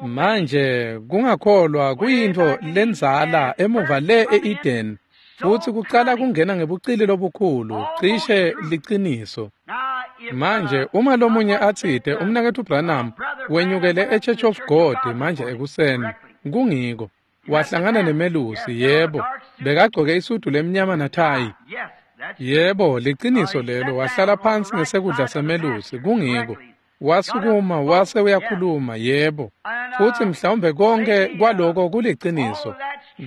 Manje kungakholwa kuyintfo lendzala emuva le e-Eden, futsi kucala kungena ngebucili lobukhulu, cishe liciniso. Manje uma lomunye atsite umnaketfu Branham wenyukele eChurch of God manje ekuseni, kungiko wahlangana nemelusi, yebo, bekagcoke isudu lemnyama nathayi. Yebo, liciniso lelo, wahlala phansi ngesekudla semelusi, kungiko. Wasukuma wase uyakhuluma, yebo. Futsi mhlawumbe konke kwaloko kuliciniso,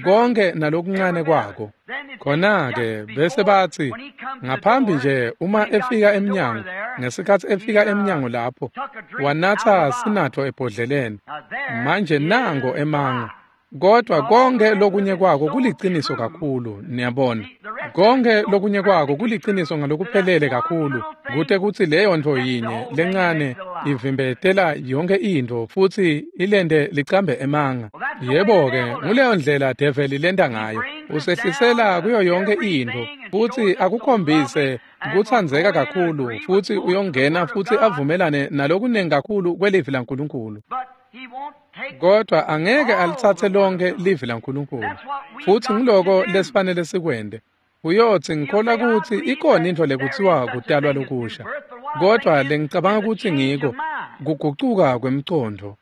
konke nalokuncane kwako. Khona-ke bese batsi ngaphambi nje uma efika emnyango, ngesikhatsi efika emnyango lapho, wanatsa sinatfo ebhodleleni. Manje nango emanga. Kodwa konke lokunye kwako kuliciniso kakhulu, niyabona. Konke lokunye kwako kuliciniso ngalokuphelele kakhulu, kute kutsi leyo ntfo yinye lencane ivimbetela yonke intfo futsi ilente licambe emanga. Yebo-ke, nguleyo ndlela develi lenta ngayo. Usehlisela kuyo yonke intfo futsi akukhombise kutsandzeka kakhulu, futsi uyongena futsi avumelane nalokunengi kakhulu kwelivi laNkulunkulu. Kodwa angeke alitsatse lonke livi laNkulunkulu. Futsi ngiloko lesifanele sikwente. Uyotsi ngikholwa kutsi ikhona intfo lekutsiwa kutalwa lokusha. Kodwa lengicabanga kutsi ngiko kugucuka kwemcondvo.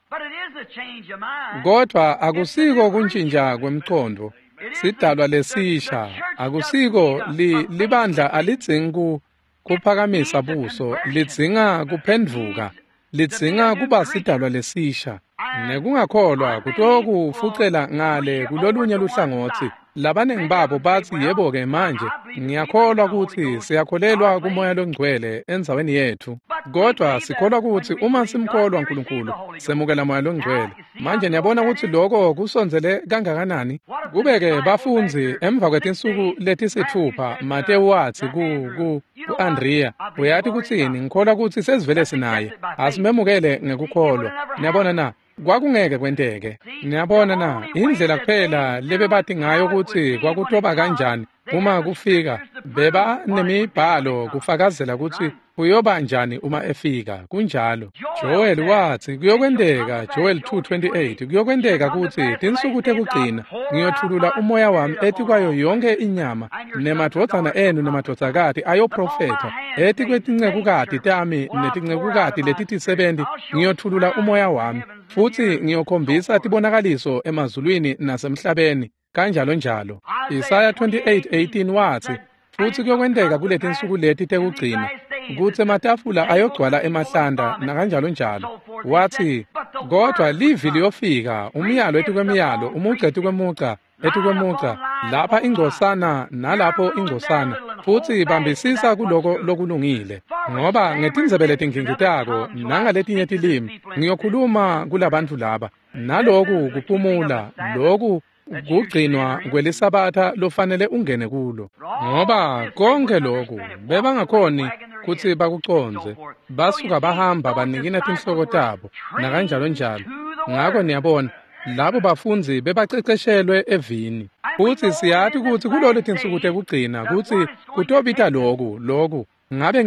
Kodwa akusiko kuntjintja kwemcondvo. Sidalwa lesisha akusiko libandla alidzingi kuphakamisa buso, lidzinga kuphendvuka. Lidzinga kuba sidalwa lesisha. Nekungakholwa kutokufucela ngale kulolunye luhlangotsi. Labanengi babo batsi yebo-ke manje ngiyakholwa kutsi siyakholelwa kuMoya loNgcwele endzaweni yetfu. Kodwa sikholwa kutsi uma simkholwa Nkulunkulu semukela Moya loNgcwele. Manje niyabona kutsi loko kusondzele kangakanani? Kube-ke bafundzi emva kwetinsuku letisitfupha Matewu watsi ku-Andrea, uyati kutsini, ngikholwa kutsi sesivele sinaye, asimemukele ngekukholwa. Niyabona na? Kwakungeke kwenteke. Niyabona na? Indlela kuphela lebebati ngayo kutsi kwakutoba kanjani uma kufika, beba nemibhalo kufakazela kutsi kuyoba njani uma efika. Kunjalo. Joel watsi kuyokwenteka, Joel 2:28, kuyokwenteka kutsi tinsuku tekugcina ngiyotfulula umoya wami etikwayo yonke inyama, nemadvodzana enu nemadvodzakati ayoprofetha, etikwetincekukati tami netincekukati letitisebenti ngiyotfulula umoya wami, futsi ngiyokhombisa tibonakaliso emazulwini nasemhlabeni, kanjalo njalo. Isaya 28:18 watsi, futsi kuyokwenteka kuletinsuku leti tekugcina, Kutsi ematafula ayogcwala emahlanda nakanjalo njalo. Watsi, kodwa livi liyofika, umyalo etikwemiyalo, umugca etikwemugca, etikwemugca, lapha ingcosana nalapho ingcosana, futsi bambisisa kuloko lokulungile. Ngoba ngetindzebe letingingitako nangaletinye tilimi ngiyokhuluma kulabantu laba. Naloku kuphumula, loku kugcinwa kwelisabatha lofanele ungene kulo. Ngoba konke loku bebangakhoni kutsi bakucondze, basuka bahamba banikina tinhloko tabo nakanjalo njalo. Ngako niyabona, labo bafundzi bebaceceshelwe evini. Futsi siyati kutsi kulolu tinsuku tekugcina kutsi kutobita loku. Ngabe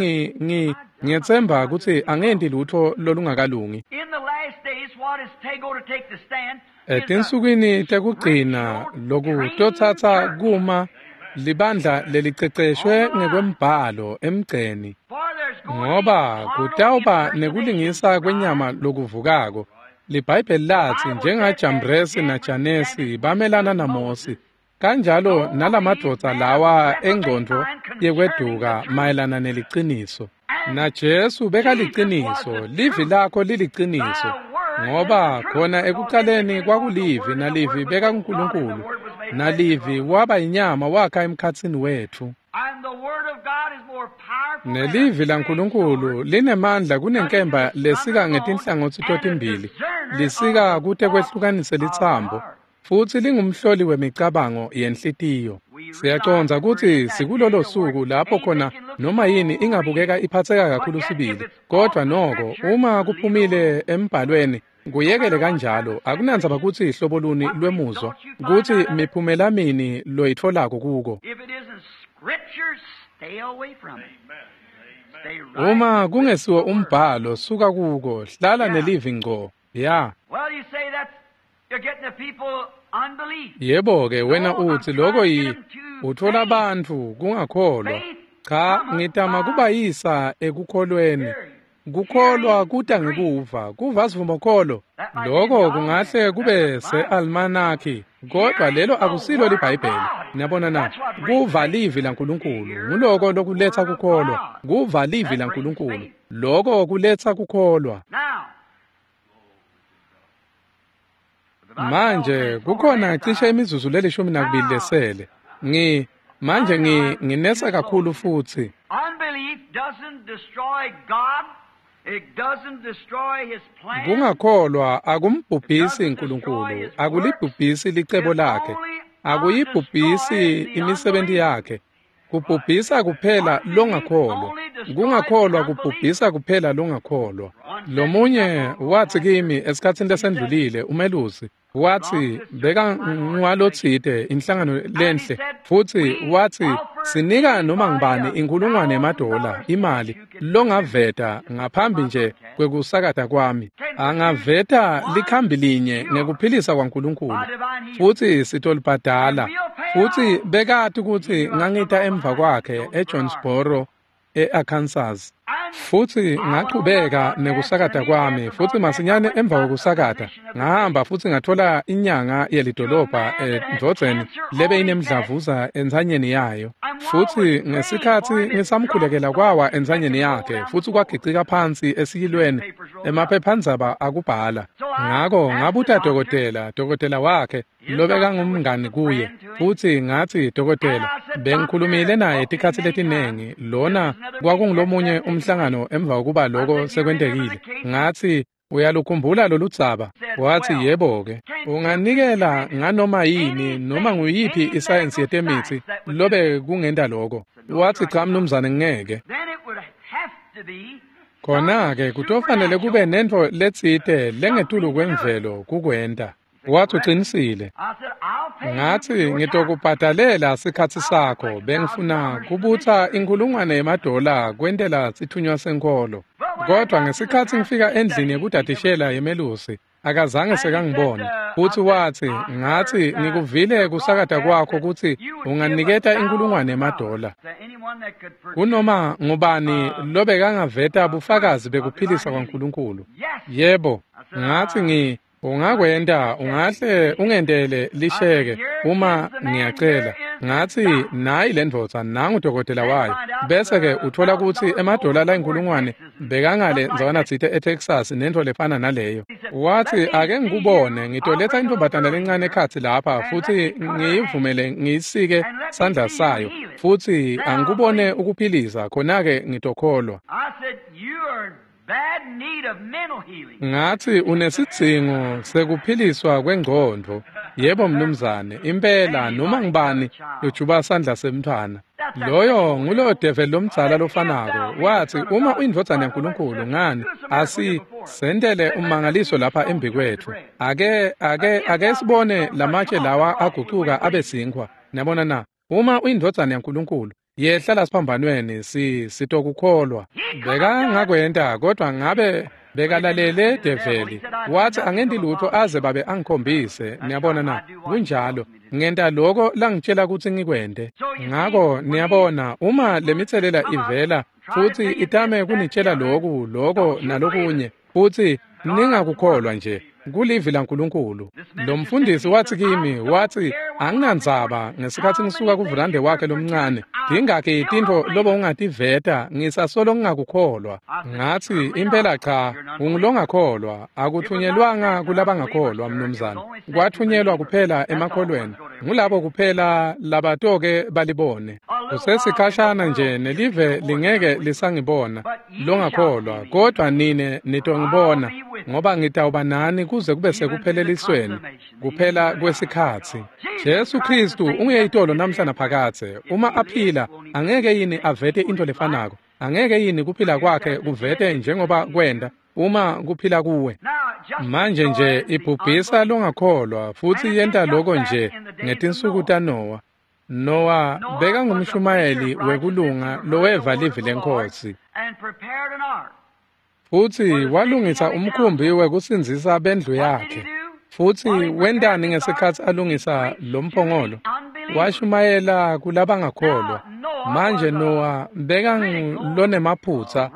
ngiyetsemba kutsi angenti lutho lolungakalungi. Etinsukwini tekugcina lokutotsatsa kuma libandla leliceceshwe ngekwembhalo emgceni, ngoba kutawuba nekulingisa kwenyama lokuvukako. LiBhayibheli latsi njengaJambresi naJanesi bamelana naMosi, kanjalo nalamadvodza lawa engcondvo yekweduka mayelana neliciniso. NaJesu bekaliciniso, livi lakho liliciniso, ngoba khona ekuqaleni kwakulivi, nalivi bekaNkulunkulu, nalivi waba inyama wakha emkhatsini wetfu. Nelivi laNkulunkulu linemandla kunenkemba lesika ngetinhlangotsi totimbili, lisika kute kwehlukanise litsambo, futsi lingumhloli wemicabango yenhlitiyo. Siyacondza kutsi sikulolo suku lapho khona noma yini ingabukeka iphatseka kakhulu sibili, kodwa noko uma kuphumile embhalweni kuyekele kanjalo. Akunandzaba kutsi hlobo luni lwemuzwa, kutsi miphumela mini loyitfolako kuko. Uma kungesiwo umbhalo, suka kuko, hlala nelivi ngco. Ya. Yebo-ke, wena utsi lokho utfola bantfu kungakholwa. Cha, ngitama kubayisa ekukholweni. Kukholwa kuta ngekuva, kuva sivumokholo. Lokho kungahle kube se-almanaki, kodwa lelo akusilo liBhayibheli. Niyabona na? Kuva livi laNkulunkulu, nguloko lokuletsa kukholwa. Kuva livi laNkulunkulu, loko kuletsa kukholwa. Manje kukhona cishe imizuzu le-12 lesele. Manje nginesa kakhulu futsi. Kungakholwa akumbhubhisi uNkulunkulu, akulibhubhisi licebo lakhe, akuyibhubhisi imisebenti yakhe. Kubhubhisa kuphela longakholwa. Kungakholwa kubhubhisa kuphela longakholwa. Lomunye watsi kimi esikhatsini lesendlulile, umelusi, watsi beka ngwalotsite inhlangano lenhle, futsi watsi sinika noma ngibani $1,000 imali longaveta ngaphambi nje kwekusakata kwami. Angaveta likhambi linye ngekuphilisa kwaNkulunkulu, futsi sitolibhadala. Futsi bekati kutsi ngangita emva kwakhe eJonesboro e-Arkansas. Futsi ngachubeka nekusakata kwami, futsi masinyane emva kwekusakata ngahamba futsi ngathola inyanga yelidolobha endvodzeni lebe inemdlavuza entsanyeni yayo. Futsi ngesikhatsi ngisamkhulekela kwawa entsanyeni yakhe, futsi kwagicika phansi esiyilweni, emaphephandzaba akubhala. Ngako ngabuta dokotela wakhe lobekangumngani kuye, futsi ngatsi, dokotela, bengikhulumile naye tikhatsi letinengi, lona kwakungulomunye umhlangano emva kokuba lokho sekwentekile. Ngatsi, uyalukhumbula loludzaba? Watsi, yebo-ke. Unganikela nganoma yini noma nguyiphi isayensi yetemitsi lobe kungenta lokho? Watsi, cha mnumzane, ngeke. Khona-ke kutofanele kube nentfo letsite lengetulu kwemvelo kukwenta. Watsi, ucinisile. Ngatsi, ngitokubhadalela sikhatsi sakho. Bengifuna kubutsa $1,000 kwentela sithunywa senkholo. Kodwa ngesikhatsi ngifika endlini yekudadishela yemelusi, akazange sekangibone. Futsi watsi, ngatsi, ngikuvile kusakata kwakho kutsi unganiketa $1,000. Kunoma ngubani lobekangaveta bufakazi bekuphilisa kwaNkulunkulu. Yebo, ngatsi Ungakwenta, ungahle ungentele lisheke uma ngiyacela. Ngathi nayi le ndvodza nangu dokotela wayo. Bese-ke uthola kutsi emadola layinkulungwane bekangale ndzawanatsite eTexas nentfo lefana naleyo. Wathi ake ngikubone, ngitoletsa intfombatana lencane ekhatsi lapha futsi ngiyivumele ngiyisike sandla sayo futsi angikubone ukuphilisa, khona-ke ngitokholwa. Ngathi unesidzingo sekuphiliswa kwengcondvo. Yebo mnumzane, impela noma ngibani lojuba sandla semntfwana. Loyo nguloyo develi lomdzala lofanako. Wathi uma uyindvodzana yaNkulunkulu, ngani asi sentele ummangaliso lapha embikwetfu. Ake sibone lamatshe lawa agucuka abe sinkhwa. Niyabona na? Uma uyindvodzana yaNkulunkulu, yehla lasiphambanweni, sitokukholwa. Bekangakwenta, kodwa ngabe bekalalele develi. Wathi angenti lutho aze babe angikhombise. Niyabona na? Kunjalo. Ngenta loko langitshela kutsi ngikwente. Ngako niyabona, uma lemitselela ivela futsi itame kunitshela loku, loko nalokunye, futsi ningakukholwa nje. Kulivi laNkulunkulu. Lo mfundisi wathi kimi, wathi anginandzaba ngesikhatsi ngisuka kuvulande wakhe lomncane. Tingakhi tintfo lobo ungativeta, ngisasolo ngingakukholwa. Ngathi impela cha, ungulongakholwa. Akuthunyelwanga kulabangakholwa mnumzane. Kwathunyelwa kuphela emakholweni. Ngulabo kuphela labatoke balibone. Kusesikhashana nje nelive lingeke lisangibona longakholwa, kodwa nine nitongibona, ngoba ngitawuba nani kuze kube sekuphelelisweni, kuphela kwesikhatsi. Jesu Kristu ungeyitolo namhla naphakadze. Uma aphila, angeke yini avete into lefanako? Angeke yini kuphila kwakhe kuvete njengoba kwenta uma kuphila kuwe? Manje nje ibhubhisa longakholwa futsi yenta loko nje ngetinsuku taNowa. Nowa bekangumshumayeli wekulunga loweva livi leNkhosi, futsi walungisa umkhumbi wekusindzisa bendlu yakhe. Futsi wentani ngesikhatsi alungisa lo mphongolo? Washumayela kulabangakholwa. Manje Nowa bekangulonemaphutsa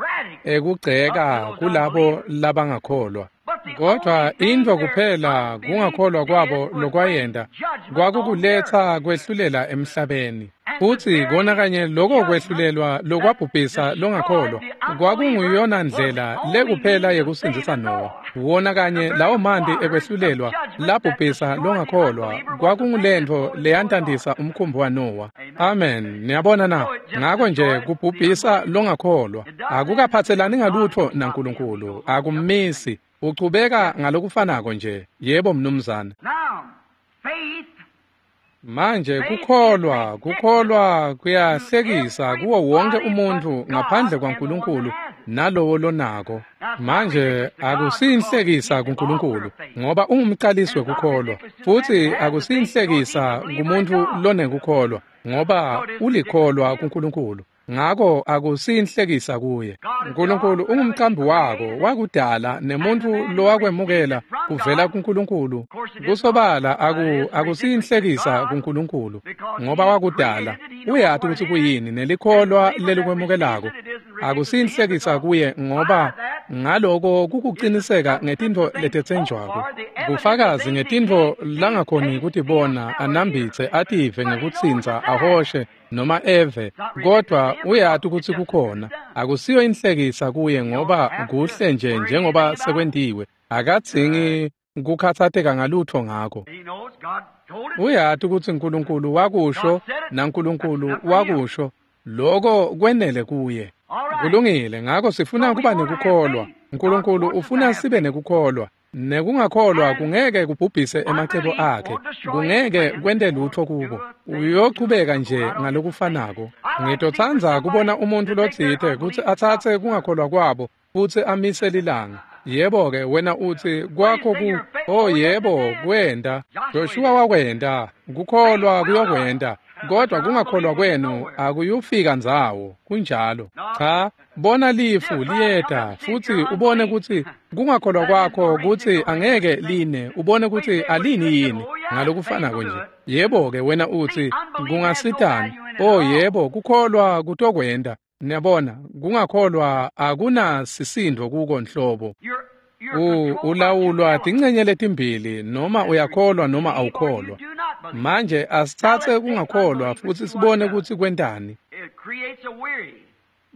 ekugceka kulabo labangakholwa. Kodwa intfo kuphela kungakholwa kwabo lokwayenta kwakukuletsa kwehlulela emhlabeni. Futsi kona kanye loko kwehlulelwa lokwabhubhisa longakholwa kwakunguyona ndlela lekuphela yekusindzisa Nowa. Wona kanye lawo manti ekwehlulelwa labhubhisa longakholwa kwakungulentfo leyantantisa umkhumbi waNowa. Amen. Niyabona na? Ngako nje kubhubhisa longakholwa akukaphatselani ngalutfo naNkulunkulu, akummisi. Uchubeka ngalokufanako nje. Yebo mnumzane. Manje kukholwa kuyahlekisa kuwo wonke umuntu ngaphandle kwaNkulunkulu nalowo lonako. Manje akusinhlekisa kuNkulunkulu ngoba ungumqalisi wekukholwa, futsi akusinhlekisa kumuntu lonekukholwa ngoba ulikholwa kuNkulunkulu. Ngako akusinhlekisa kuye. uNkulunkulu ungumqambi wako, wakudala, nemuntu lowakwemukela kuvela kuNkulunkulu. Kusobala akusinhlekisa kuNkulunkulu ngoba wakudala, uyati kutsi kuyini, nelikholwa lelikwemukelako. Akusinhlekisa kuye ngoba ngaloko kukuqiniseka ngetintfo letetsenjwako, kufakazi ngetintfo langakhoni kutibona, anambitse, ative ngekutsintsa, ahoshe noma eve, kodwa uyati kutsi kukhona. Akusiyo inhlekisa kuye ngoba kuhle nje njengoba sekwentiwe. Akadzingi kukhatsateka ngalutfo ngako. Uyati kutsi uNkulunkulu wakusho naNkulunkulu wakusho, loko kwenele kuye. Kulungile. Ngako sifuna kuba nekukholwa. uNkulunkulu ufuna sibe nekukholwa. Nekungakholwa kungeke kubhubhise emacebo akhe, kungeke kwente lutfo kubo. Uyochubeka nje ngalokufanako. Ngitotsandza kubona umuntfu lotsite kutsi atsatse kungakholwa kwabo futsi amise lilanga. Yebo-ke, wena utsi kwakho ku, oh yebo, kwenta. Joshua wakwenta, kukholwa kuyokwenta, kodwa kungakholwa kwenu akuyufika ndzawo. Kunjalo. Cha, bona lifu liyeta futsi ubone kutsi kungakholwa kwakho kutsi angeke line, ubone kutsi alini yini ngalokufanako nje. Yebo-ke, wena utsi kungasitani? Oh yebo, kukholwa kutokwenta. Niyabona, kungakholwa akunasisindo kuko nhlobo. Ulawulwa tincenye letimbili, noma uyakholwa noma awukholwa. Manje asitsatse kungakholwa futsi sibone kutsi kwentani.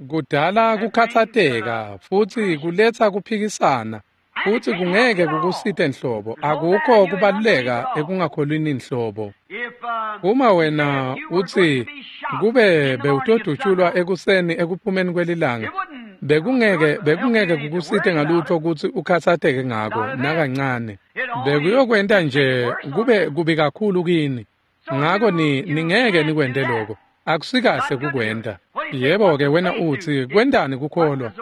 Kudala kukhatsateka futsi kuletsa kuphikisana, futsi kungeke kukusite nhlobo. Akukho kubaluleka ekungakholwini nhlobo. Uma wena utsi kube bewutodutshulwa ekuseni ekuphumeni kwelilanga, bekungeke kukusite ngalutho kutsi ukhatsateke ngako nakancane. Bekuyokwenta nje kube kubi kakhulu kini. Ngako ningeke nikwente lokho. Akusikahle kukwenta. Yebo-ke wena utsi kwentani kukholwa?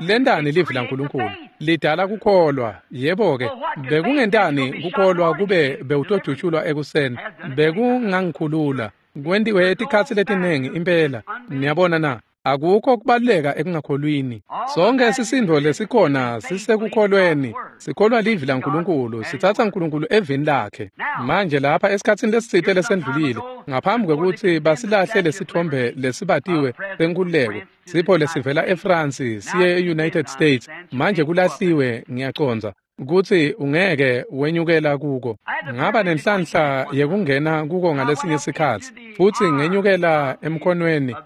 Lentani livi laNkulunkulu? Lidala kukholwa. Yebo-ke bekungentani kukholwa kube bewutodutshulwa ekuseni? Bekungangikhulula. Kwentiwe etikhatsi letiningi impela. Niyabona na? Akukho kubaluleka ekungakholwini. Sonke sisindvo lesikhona sisekukholweni. Sikholwa livi laNkulunkulu, sitsatsa Nkulunkulu evini lakhe. Manje lapha esikhatsini lesitsite lesendlulile, ngaphambi kwekutsi basilahle lesithombe lesibatiwe senkululeko, sipho lesivela eFrance siye e-United States, manje kulahliwe ngiyacondza kutsi ungeke wenyukela kuko. Ngaba nenhlanhla yekungena kuko ngalesinye sikhatsi, futsi ngenyukela emkhonweni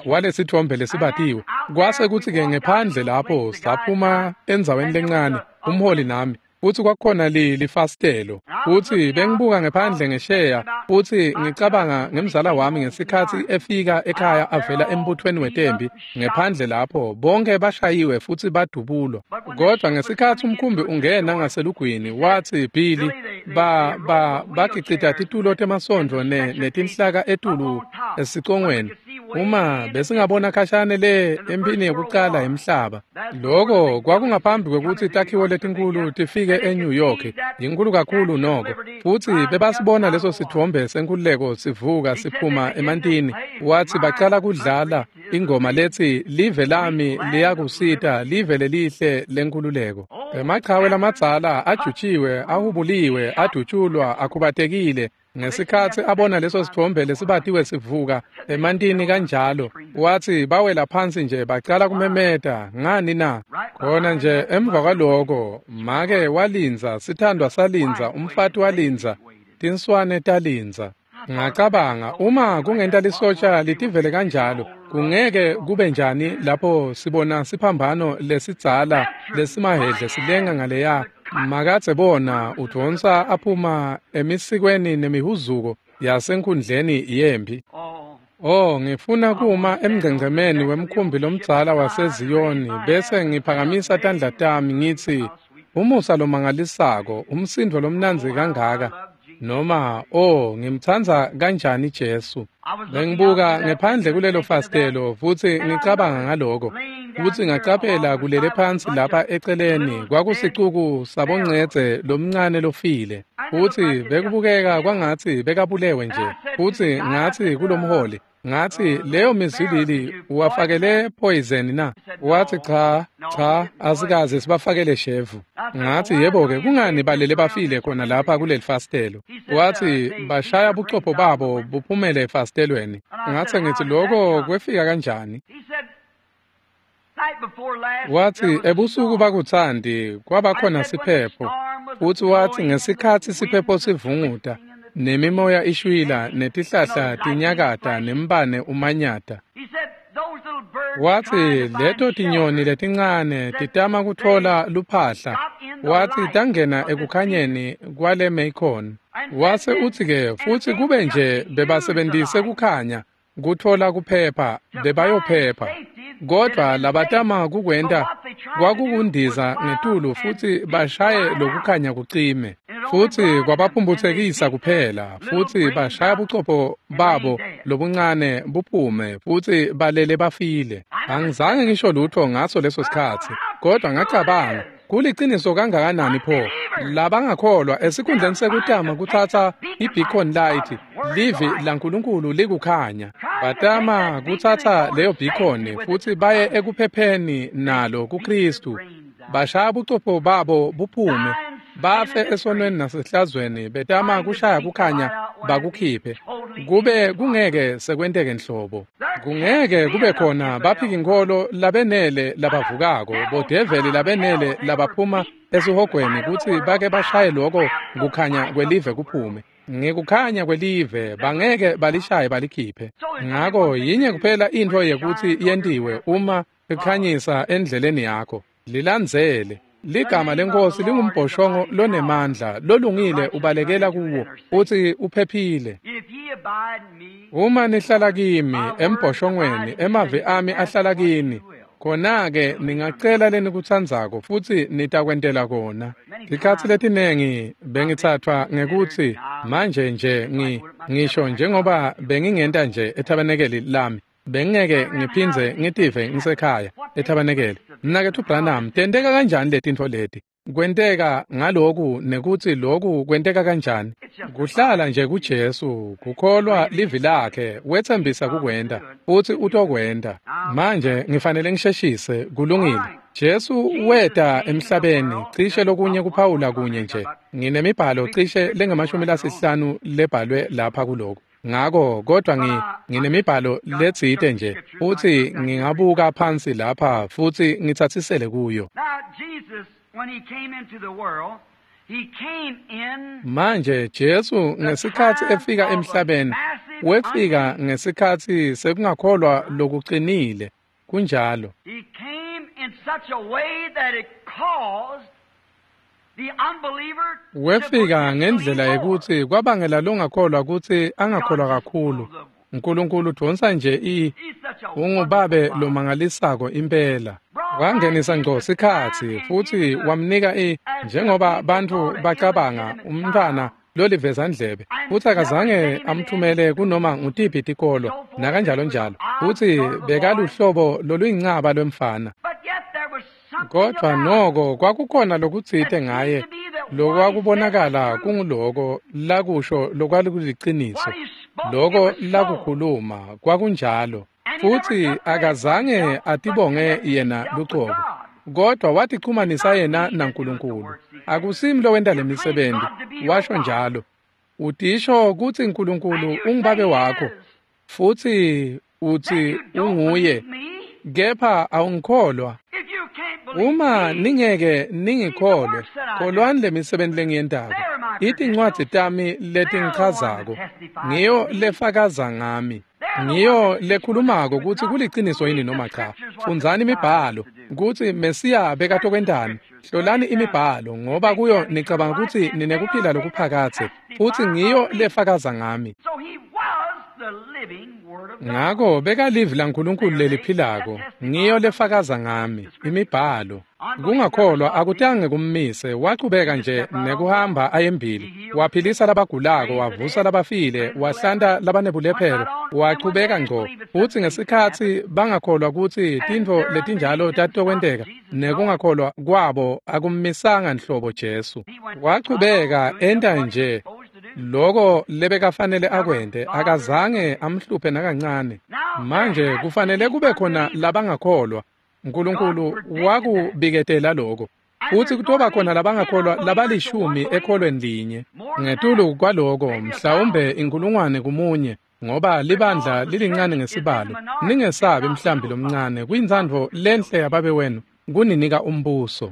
walesithombe lesibatiwe. Kwase kutsi-ke ngephandle lapho saphuma endzaweni lencane, umholi nami, futsi kwakukhona lifasitelo, futsi bengibuka ngephandle ngesheya, futsi ngicabanga ngemzala wami ngesikhatsi efika ekhaya avela embuthweni wetembi ngephandle lapho, bonke bashayiwe futsi badubulwa. Kodwa ngesikhatsi umkhumbi ungena ngaselugwini, watsi Billy, bagicita titulo temasondvo netinhlaka etulu esicongweni. Uma besingabona khashane le emphini yekucala yemhlaba. Loko kwakungaphambi kwekutsi takhiwo letinkulu tifike eNew York, yinkulu kakhulu noko. Futsi bebasibona leso sithombe senkululeko sivuka siphuma emantini. Watsi bacala kudlala ingoma letsi live lami liyakusita, live lelihle lenkululeko. Emachawe lamadzala ajutshiwe, ahubuliwe, adutshulwa, akhubatekile. Ngesikhatsi abona leso sithombe lesibatiwe sivuka emantini kanjalo, watsi bawela phansi nje bacala kumemeta. Ngani na? Khona nje emva kwaloko, make walindza, sithandwa salindza, umfati walindza, tinswane talindza. Ngacabanga, uma kungenta lisotja litivele kanjalo, kungeke kube njani lapho sibona siphambano lesidzala lesimahhedle silenga ngaleya. Makatse bona udvonsa aphuma emisikweni nemihuzuko yasenkundleni yempi. Oh, ngifuna kuma emngcengcemeni wemkhumbi lomdzala waseZiyoni bese ngiphakamisa tandla tami ngitsi umusa lomangalisako, umsindvo lomnandzi kangaka, noma oh ngimtsandza kanjani Jesu. Bengibuka ngephandle kulelo fastelo futsi ngicabanga ngaloko, futsi ngacaphela kulele phansi lapha eceleni kwakusicuku saboncedze lomncane lofile, futsi bekubukeka kwangatsi bekabulewe nje. Futsi ngatsi kulomholi, ngatsi leyo mizwilili uwafakele poison na? Wathi cha, asikaze sibafakele shevu. Ngathi yebo-ke, kungani balele bafile khona lapha kuleli fastelo? Wathi bashaya buchopho babo buphumele efastelweni. Ngathi ngithi lokho kwefika kanjani? Wathi ebusuku bakuthandi kwabakhona siphepho, futsi wathi ngesikhatsi siphepho sivunguta, nemimoya ishwila, netihlahla tinyakata, nembane umanyata. Wathi leto tinyoni letincane titama kutfola luphahla. Wathi tangena ekukhanyeni kwale Macon. Wase utsi-ke futsi kube nje bebasebentise kukhanya kutfola kuphepha, bebayophepha. Kodwa labatama kukwenta kwakukundiza ngetulu futsi bashaye lokukhanya kucime, futsi kwabaphumphutsekisa kuphela, futsi bashaya buchopho babo lobuncane buphume, futsi balele bafile. Angizange ngisho lutho ngaso leso sikhatsi, kodwa ngacabanga, kuliciniso kangakanani pho labangakholwa esikhundleni sekutama kutsatsa i-beacon light, livi laNkulunkulu likukhanya, batama kutsatsa leyo beacon futsi baye ekuphepheni nalo kuKristu, bashaya buchopho babo buphume, bafe esonweni nasehlazweni, betama kushaya kukhanya bakukhiphe. Kube kungeke sekwenteke nhlobo. Kungeke kube khona baphikinkholo labenele labavukako, bodeveli labenele labaphuma esihogweni kutsi bake bashaye loko kukhanya kwelive kuphume. Ngekukhanya kwelive bangeke balishaye balikhiphe. Ngako yinye kuphela intfo yekutsi yentiwe uma ikhanyisa endleleni yakho. Lilandzele. Ligama leNkosi lingumbhoshongo lonemandla, lolungile ubalekela kuwo futsi uphephile. Uma nihlala kimi embhoshongweni, emavi ami ahlala kini, khona-ke ningacela lenikutsandzako futsi nitakwentela kona. Tikhatsi letinengi bengitsatfwa ngekutsi manje nje ngisho njengoba bengingenta nje ethabanekeli lami, bengingeke ngiphindze ngitive ngisekhaya ethabanekeli. Mnaketfu Branham, tenteka kanjani letintfo leti? Kwenteka ngaloku nekutsi loku kwenteka kanjani? Kuhlala nje kuJesu, kukholwa livi lakhe, wetsembisa kukwenta, futsi utokwenta. Manje ngifanele ngisheshise, kulungile. Jesu weta emhlabeni, cishe lokunye kuphawula kunye nje. Nginemibhalo cishe lengama-50 lebhalwe lapha kuloko. Ngako kodwa nginemibhalo letsite nje futsi ngingabuka phansi lapha futsi ngitsatsisele kuyo. Manje Jesu ngesikhatsi efika emhlabeni, wefika ngesikhatsi sekungakholwa lokuqinile. Kunjalo. Wefika ngendlela yekutsi kwabangela longakholwa kutsi angakholwa kakhulu. Nkulunkulu udvonsa nje ungubabe lomangalisako impela. Wangenisa ngco sikhatsi futsi wamnika njengoba bantfu bacabanga umntfwana lolivezandlebe, futsi akazange amthumele kunoma ngutiphi tikolo nakanjalo njalo, futsi bekaluhlobo loluyincaba lwemfana. Kodwa noko kwakukhona lokutsite ngaye lokwakubonakala kunguloko lakusho lokwakuliciniso, loko lakukhuluma kwakunjalo, futsi akazange atibonge yena lucobo, kodwa watichumanisa yena naNkulunkulu. Akusimi lowenta lemisebenti, washo njalo. Utisho kutsi Nkulunkulu ungubabe wakho, futsi utsi unguye, kepha awungikholwa. Uma ningeke ningikholwe, kholwani lemisebenti lengiyentako. Itincwadzi tami letingichazako, ngiyo lefakaza ngami. Ngiyo lekhulumako kutsi kuliciniso yini noma cha. Fundzani imibhalo kutsi Mesiya bekatokwentani. Hlolani imibhalo ngoba kuyo nicabanga kutsi ninekuphila lokuphakadze, futsi ngiyo lefakaza ngami. Ngako bekalivi laNkulunkulu leliphilako, ngiyo lefakaza ngami, imibhalo. Kungakholwa akutange kummise, wachubeka nje nekuhamba ayembili. Waphilisa labagulako, wavusa labafile, wahlanta labanebulephero, wachubeka ngco. Futsi ngesikhatsi bangakholwa kutsi tintfo letinjalo tatokwenteka, nekungakholwa kwabo akummisanga nhlobo Jesu. Wachubeka enta nje loko lebekafanele akwente, akazange amhluphe nakancane. Manje kufanele kube khona labangakholwa. Nkulunkulu wakubiketela lokho. Futsi kutoba khona labangakholwa labalishumi ekholweni linye. Ngetulu kwaloko mhlawumbe 1,000 kumunye, ngoba libandla lilincane ngesibalo. Ningesabi mhlambi lomncane, kuyintsandvo lenhle yababe wenu kuninika umbuso.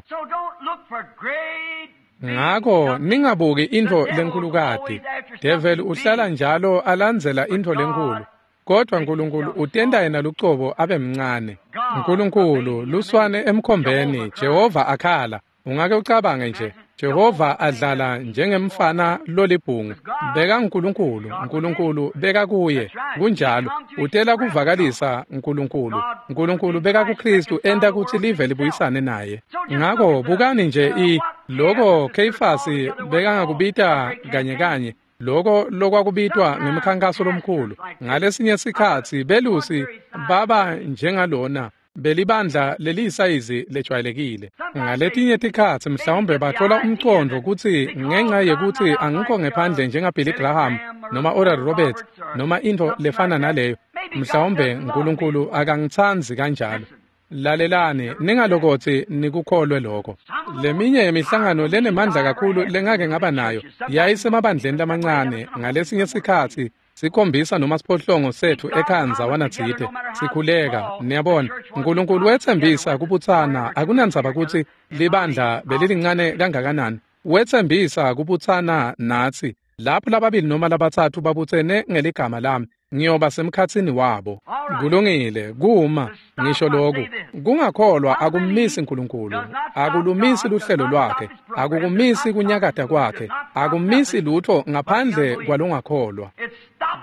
Ngako ningabuki intfo lenkulukati. Devil uhlala njalo alandzela intfo lenkulu, kodwa Nkulunkulu utenta yena lucobo abe mncane. Nkulunkulu luswane emkhombeni, Jehova akhala. Ungake ucabange nje, Jehova adlala njengemfana lolibhungu. Beka Nkulunkulu, Nkulunkulu beka kuye. Kunjalo, utela kuvakalisa Nkulunkulu. Nkulunkulu beka kuKristu enta kutsi live libuyisane naye. Ngako bukani nje loko Kheyifasi bekangakubita kanye kanye, loko lokwakubitwa ngemkhankaso lomkhulu. Ngalesinye sikhatsi belusi baba njengalona belibandla leliyisayizi lejwayelekile. Ngaletinye tikhatsi mhlawumbe bathola umcondvo kutsi ngenxa yekutsi angikho ngephandle njengaBilly Graham noma Oral Roberts noma intfo lefana naleyo, mhlawumbe Nkulunkulu akangitsandzi kanjalo. Lalelani, ningalokotsi nikukholwe lokho. Leminye yemihlangano lenemandla kakhulu lengake ngaba nayo yayisemabandleni lamancane. Ngalesinye sikhatsi Sikhombisa noma siphohlongo sethu ekhandza wanatsite sikhuleka. Niyabona, uNkulunkulu wetsembisa kubutsana, akunandzaba kutsi libandla belilincane kangakanani. Wetsembisa kubutsana natsi. Lapho lababili noma labatsatfu babutsene ngeligama lami, ngiyoba semkhatsini wabo. Kulungile, kuma ngisho lokhu. Kungakholwa akummisi uNkulunkulu, akulumisi luhlelo lwakhe, akukumisi kunyakata kwakhe, akummisi lutho ngaphandle kwalongakholwa.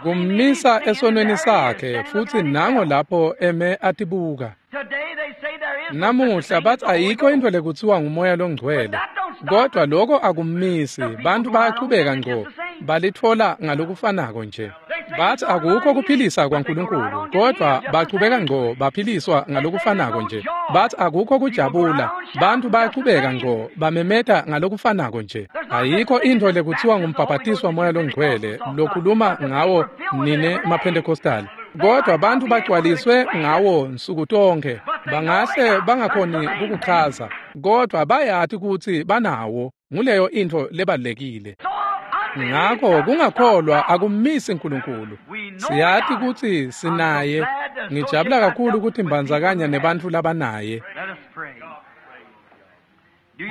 Kummisa esonweni sakhe, futsi nango lapho eme atibuka. Namuhla bathi ayikho into lekutsiwa ngumoya longcwele, kodwa lokho akummisi. Bantu bayachubeka ngco balitfola ngalokufanako nje. Bathi akukho kuphilisa kwaNkulunkulu, kodwa bachubeka ngco baphiliswa ngalokufanako nje. Bathi akukho kujabula, bantu bayachubeka ngco bamemeta ngalokufanako nje. Ayikho into lekutsiwa ngumbhabhatiswa moya longcwele lokhuluma ngawo nine maPentecostal, kodwa bantu bagcwaliswe ngawo nsuku tonke. Bangahle bangakhoni kukuchaza, kodwa bayati kutsi banawo. Nguleyo into lebalulekile. Ngakho kungakholwa akummisi uNkulunkulu. Siyati kutsi sinaye. Ngijabula kakhulu ukuthi mbandzakanya nebantfu labanaye.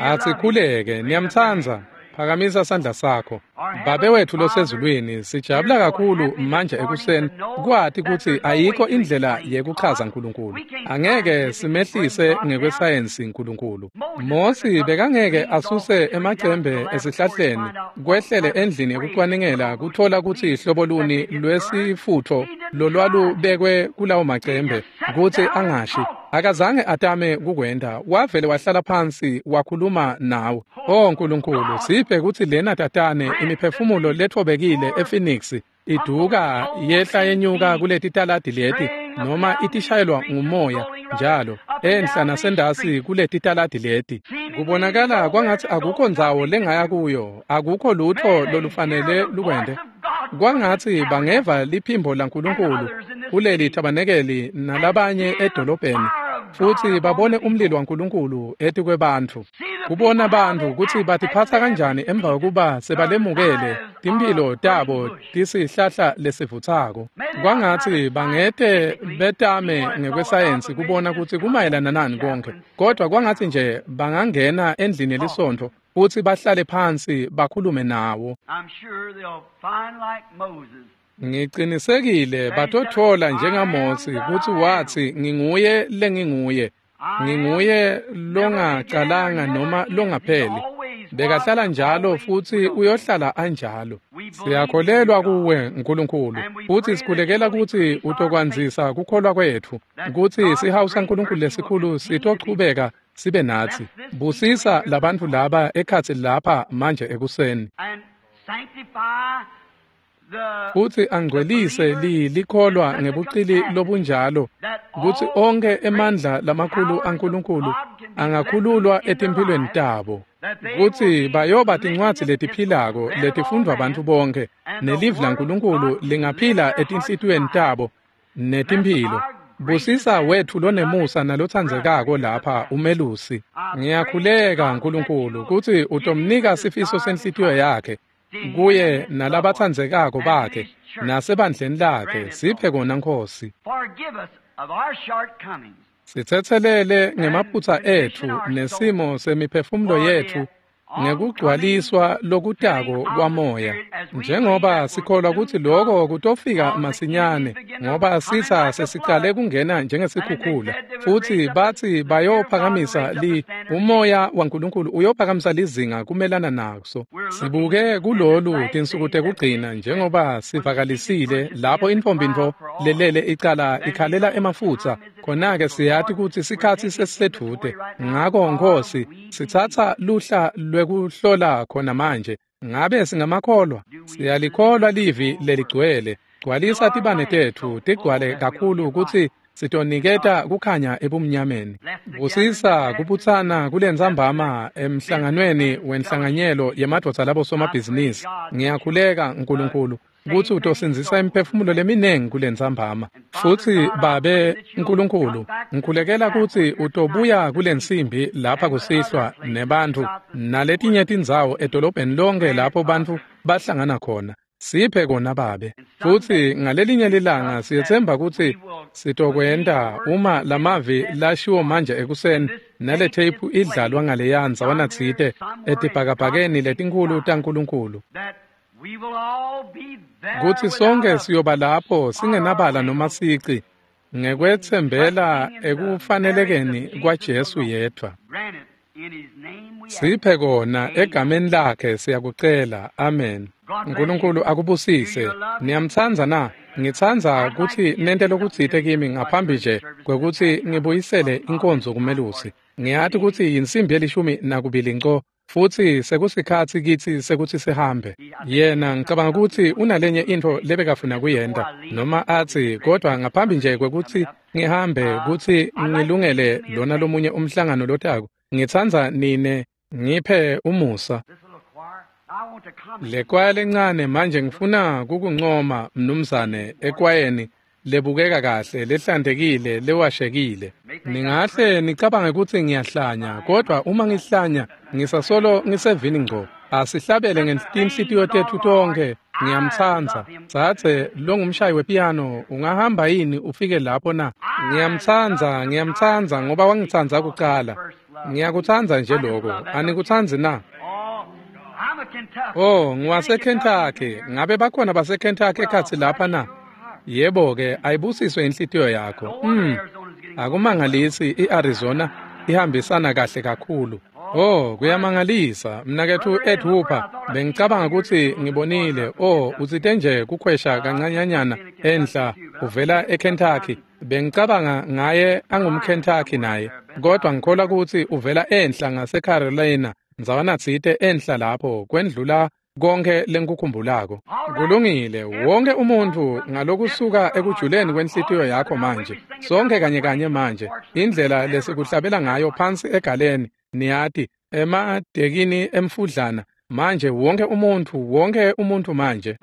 Asikhuleke. Niyamtsandza? Phakamisa sandla sakho. Babe wethu losezulwini, sijabula kakhulu manje ekuseni kwati kutsi ayikho indlela yekuchaza uNkulunkulu. Angeke simehlise ngekwesayensi uNkulunkulu. Mosi bekangeke asuse emacembe esihlahleni kwehlele endlini yekucwaningela kuthola kutsi hlobo luni lwesifutho lolwalubekwe kulawo macembe kutsi angashi. Akazange atame kukwenta, wavele wahlala phansi wakhuluma nawe. Oh Nkulunkulu, siphe kutsi lena tatane imiphefumulo lethobekile ePhoenix iduka yehla yenyuka kuleti taladi leti, noma itishayelwa ngumoya njalo enhla nasendasi kuleti taladi leti. Kubonakala kwangatsi akukho ndzawo lengaya kuyo, akukho lutho lolufanele lukwente. Kwangatsi bangeva liphimbo laNkulunkulu kuleli tabanekeli nalabanye edolobheni, futsi babone umlilo waNkulunkulu etikwebantfu. Kubona bantfu kutsi batiphatsa kanjani emva kokuba sebalemukele timphilo tabo tisihlahla lesivutsako. Kwangatsi bangete betame ngekwesayensi kubona kutsi kumayelana nani konke, kodwa kwangatsi nje bangangena endlini yelisontfo futsi bahlale phansi bakhulume nawo. Ngicinisekile batotfola njengaMosi kutsi watsi nginguye lenginguye, nginguye longacalanga noma longapheli. Bekahlala njalo futsi uyohlala anjalo. Siyakholelwa kuwe Nkulunkulu, futsi sikhulekela kutsi utokwandzisa kukholwa kwetfu, kutsi sihawu saNkulunkulu lesikhulu sitochubeka sibe natsi. Busisa labantfu laba ekhatsi lapha manje ekuseni, futsi angcwelise likholwa ngebucili lobunjalo kutsi onke emandla lamakhulu aNkulunkulu angakhululwa etimphilweni tabo, kutsi bayoba tincwadzi letiphilako letifundvwa bantfu bonke, nelivi laNkulunkulu lingaphila etinhlitiyweni tabo netimphilo. Busisa wetfu lonemusa nalotsandzekako lapha umelusi. Ngiyakhuleka Nkulunkulu kutsi utomnika sifiso senhlitiyo yakhe kuye nalabatsandzekako bakhe nasebandleni lakhe. Siphe kona Nkosi. Sitsetselele ngemaphutsa etfu nesimo semiphefumulo yetfu ngekugcwaliswa lokutako kwamoya, njengoba sikholwa kutsi lokho kutofika masinyane, ngoba sitsa sesicale kungena njengesikhukhula. Futsi bathi bayophakamisa umoya waNkulunkulu uyophakamisa lizinga kumelana naso. Sibuke kulolu tinsuku tekugcina njengoba sivakalisile lapho intfombi-ntfo lelele icala ikhalela emafutsa, khona-ke siyati kutsi sikhatsi sesisedvute. Ngako Nkosi, sitsatsa luhla lwekuhlola khona manje. Ngabe singamakholwa? Siyalikholwa livi leligcwele. Gcwalisa tibane tetfu tigcwale kakhulu kutsi sitoniketa kukhanya ebumnyameni. Busisa kubutsana kulentsambama emhlanganweni wenhlanganyelo yemadvodza labosomabhizinisi. Ngiyakhuleka Nkulunkulu kutsi utosindzisa imiphefumulo leminengi kulentsambama. Futsi Babe Nkulunkulu, ngikhulekela kutsi utobuya kulensimbi lapha kusihlwa nebantfu naletinye tindzawo edolobheni lonke lapho bantfu bahlangana khona. Siphe kona Babe. Futsi ngalelinye lilanga siyetsemba kutsi sitokwenta uma lamavi lashiwo manje ekuseni nale tape idlalwa ngaleya ndzawana tsite etibhakabhakeni letinkhulu taNkulunkulu, kutsi sonke siyoba lapho singenabala noma sici, ngekwetsembela ekufanelekeni kwaJesu yedvwa. Siphe kona egameni lakhe siyakucela. Amen. Nkulunkulu akubusise. Niyamtsandza na? Ngitsandza kutsi nente lokutsite kimi ngaphambi nje kwekutsi ngibuyisele inkonzo kumelusi. Ngiyati kutsi yinsimbi 12 nco, futsi sekusikhatsi kitsi sekutsi sihambe. Yena ngicabanga kutsi unalenye intfo lebekafuna kuyenta, noma atsi, kodwa ngaphambi nje kwekutsi ngihambe kutsi ngilungele lona lomunye umhlangano lotako, ngitsandza nine ngiphe umusa. Le kwaya lencane manje ngifuna kukuncoma mnumzane ekwayeni lebukeka kahle, lehlantekile, lewashekile. Ningahle nicabange kutsi ngiyahlanya, kodwa uma ngihlanya ngisasolo ngisevini ngco. Asihlabele ngetinhlitiyo tetfu tonkhe. Ngiyamtsandza. Dzadze longumshayi wepiyano, ungahamba yini ufike lapho na? Ngiyamtsandza, ngiyamtsandza ngoba wangitsandza kucala. Ngiyakutsandza nje lokho. Anikutsandzi na? Oh, ngiwaseKentucky. Ngabe bakhona baseKentucky ekhatsi lapha na? Yebo-ke, ayibusiswe inhlitiyo yakho. Akumangalisi i-Arizona ihambisana kahle kakhulu. Oh, kuyamangalisa. Mnaketfu Ed Hooper, bengicabanga kutsi ngibonile. Oh, utsite nje kukhwesha kancanyanyana enhla uvela eKentucky. Bengicabanga ngaye angumKentucky naye, kodwa ngikholwa kutsi uvela enhla ngaseCarolina, ndzawana tsite enhla lapho kwendlula konke lengikukhumbulako. Kulungile, wonke umuntfu ngalokusuka ekujuleni kwenhlitiyo yakho manje, sonke kanye kanye manje, indlela lesikuhlabela ngayo phansi egaleni, niyati, emadekini emfudlana, manje wonke umuntfu manje.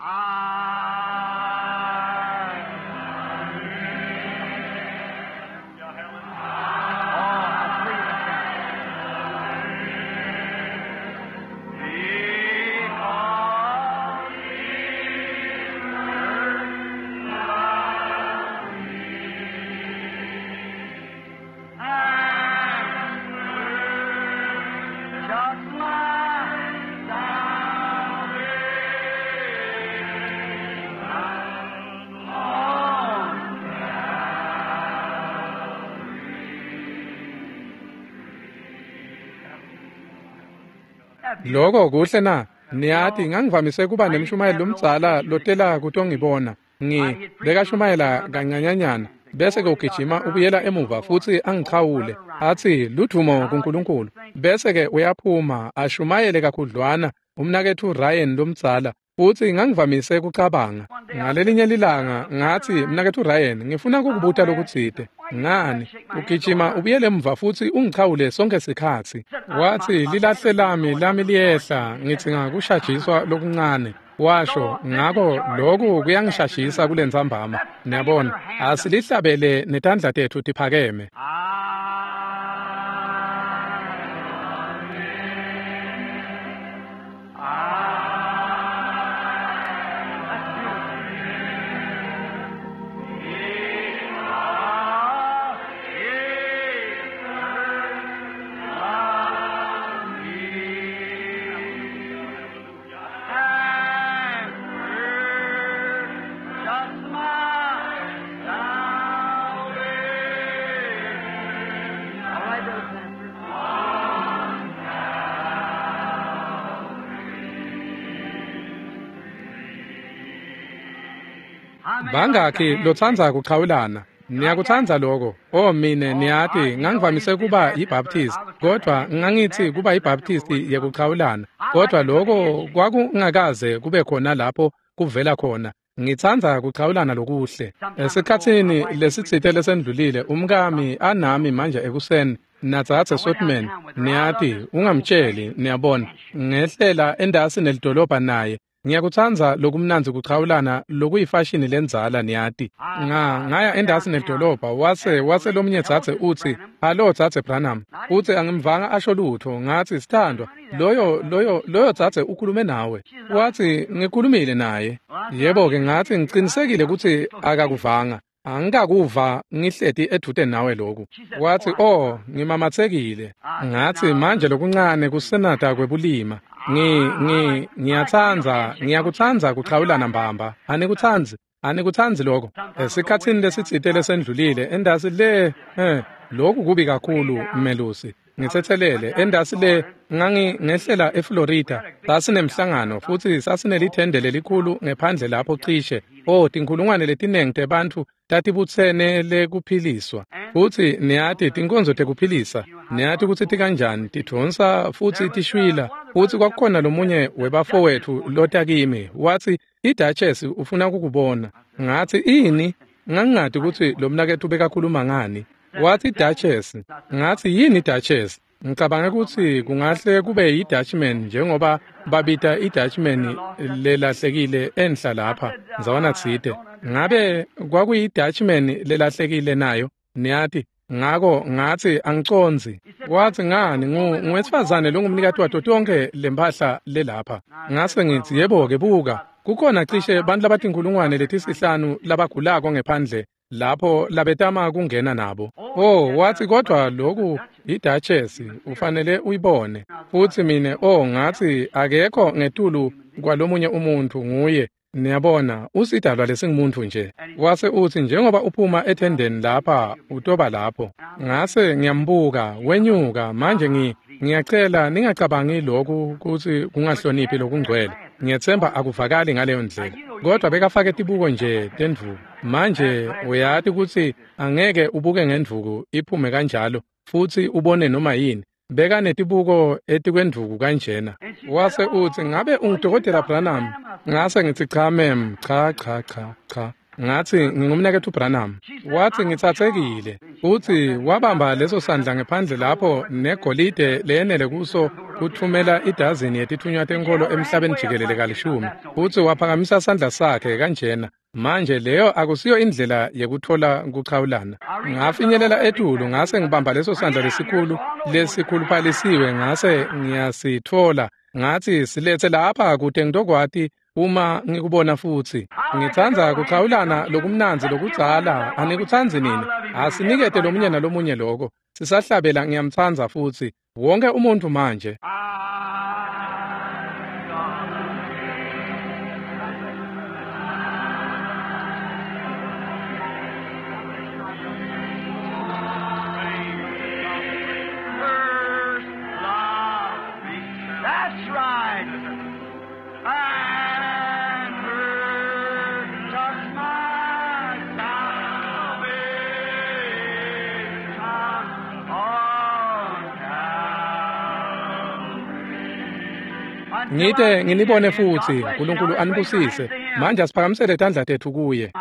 Lokho kuhle na? Niyati ngangivamise kuba nemshumayeli lomdzala lotela kutongibona. Bekashumayela kancanyanyana bese ke ugijima ubuyela emuva futsi angichawule atsi ludvumo kuNkulunkulu, bese ke uyaphuma ashumayele kakhudlwana umnaketfu Ryan lomdzala. Futsi ngangivamise kucabanga ngalelinye lilanga ngatsi, mnaketfu Ryan, ngifuna kukubuta lokutsite. Ngani ugijima ubuyele emuva futsi ungichawule sonke sikhatsi? Watsi, lilahle lami liyehla, ngidzinga kushajiswa lokuncane. Washo, ngako loku kuyangishashisa kulentsambama. Niyabona, asilihlabele netandla tetfu tiphakeme. Bangakhi lotsandza kuchawulana? Niyakutsandza lokho? Oh mine, niyati ngangivamise kuba yiBaptist, kodwa ngangitsi kuba yiBaptist yekuchawulana, kodwa lokho kwakungakaze kube khona lapho kuvela khona. Ngitsandza kuchawulana lokuhle. Esikhatsini lesitsite lesendlulile, umkami anami manje ekuseni nadzadze Sotman, niyati, ungamtsheli, niyabona, ngehlela endasi nelidolobha naye. Ngiyakutsandza lokumnandzi kuchawulana lokuyifashini lendzala niyati. Ngaya endasi nedolobha wase lomunye dzadze utsi, "Hallo dzadze Branham." Utsi angimvanga asho lutho, ngatsi sithandwa, loyo dzadze ukhulume nawe. Watsi ngikhulumile naye. Yebo-ke ngatsi ngicinisekile kutsi akakuvanga. Angikakuva ngihleti edvute nawe lokhu. Watsi, "Oh, ngimamatsekile." Ngatsi manje lokuncane kusenata kwebulima. Ngiyakutsandza kuchawulana mbamba. Anikutsandzi lokho. Esikhatsini lesitsite lesendlulile endasi le lokhu kubi kakhulu melusi. Ngitsetselele endasi le ngangingehlela eFlorida sasinemhlangano futsi sasinelithende lelikhulu ngephandle lapho cishe tinkhulungwane letinengi tebantfu tatibutsene lekuphiliswa futsi niyati tinkonzo tekuphilisa niyati kutsi tikanjani tidvonsa futsi tishwila futsi kwakukhona lomunye webafowethu lota kimi watsi iDuchess ufuna kukubona. Ngatsi ini? Ngangingati kutsi lo mnaketfu bekakhuluma ngani. Watsi Duchess. Ngatsi yini Duchess? Ngicabanga kutsi kungahle kube yi-Dutchman njengoba babita i-Dutchman lelahlekile enhla lapha ndzawana tsite. Ngabe kwakuyi-Dutchman lelahlekile nayo? Niyati. Ngako ngatsi angicondzi. Watsi ngani nguwesifazane longumnikati wato tonke lempahla lelapha. Ngase ngitsi yebo-ke buka kukhona cishe bantfu labatinkhulungwane letisihlanu labagulako ngephandle lapho labetama kungena nabo. Oh, watsi kodwa lokhu iDuchess ufanele uyibone. Futsi mine ngatsi akekho ngetulu kwalomunye umuntu nguye. Niyabona usidalwa lesingumuntu nje. Wase utsi njengoba uphuma ethendeni lapha utoba lapho. Ngase ngiyambuka wenyuka manje ngiyacela ningacabangi lokhu kutsi kungahloniphi lokungcwele. Ngiyetsemba akuvakali ngaleyo ndlela. Kodwa bekafake tibuko nje tendvuku. Manje uyati kutsi angeke ubuke ngendvuku iphume kanjalo futsi ubone noma yini. Beka netibuko etikwendvuku kanjena. Wase utsi ngabe ungudokotela Branham? Ngase ngitsi cha ma'am, cha cha cha cha. Ngatsi ngingumnaketfu Branham. Watsi ngitsatsekile. Utsi wabamba leso sandla ngephandle lapho negolide leyenele kuso kuthumela idazini yetithunywa tenkholo emhlabeni jikelele kalishumi. Utsi waphakamisa sandla sakhe kanjena. Manje leyo akusiyo indlela yekuthola kuchawulana. Ngafinyelela etulu ngase ngibamba leso sandla lesikhulu lesikhuluphalisiwe ngase ngiyasitfola. Ngatsi silethe lapha kute ngitokwati uma ngikubona futsi. Ngitsandza kuchawulana lokumnandzi lokudzala. Anikutsandzi nini? Asinikete lomunye nalomunye lokho. Sisahlabela ngiyamtsandza futsi. Wonke umuntu manje. Ngite nginibone futsi, uNkulunkulu anibusise. Manje asiphakamisele tandla tetfu kuye.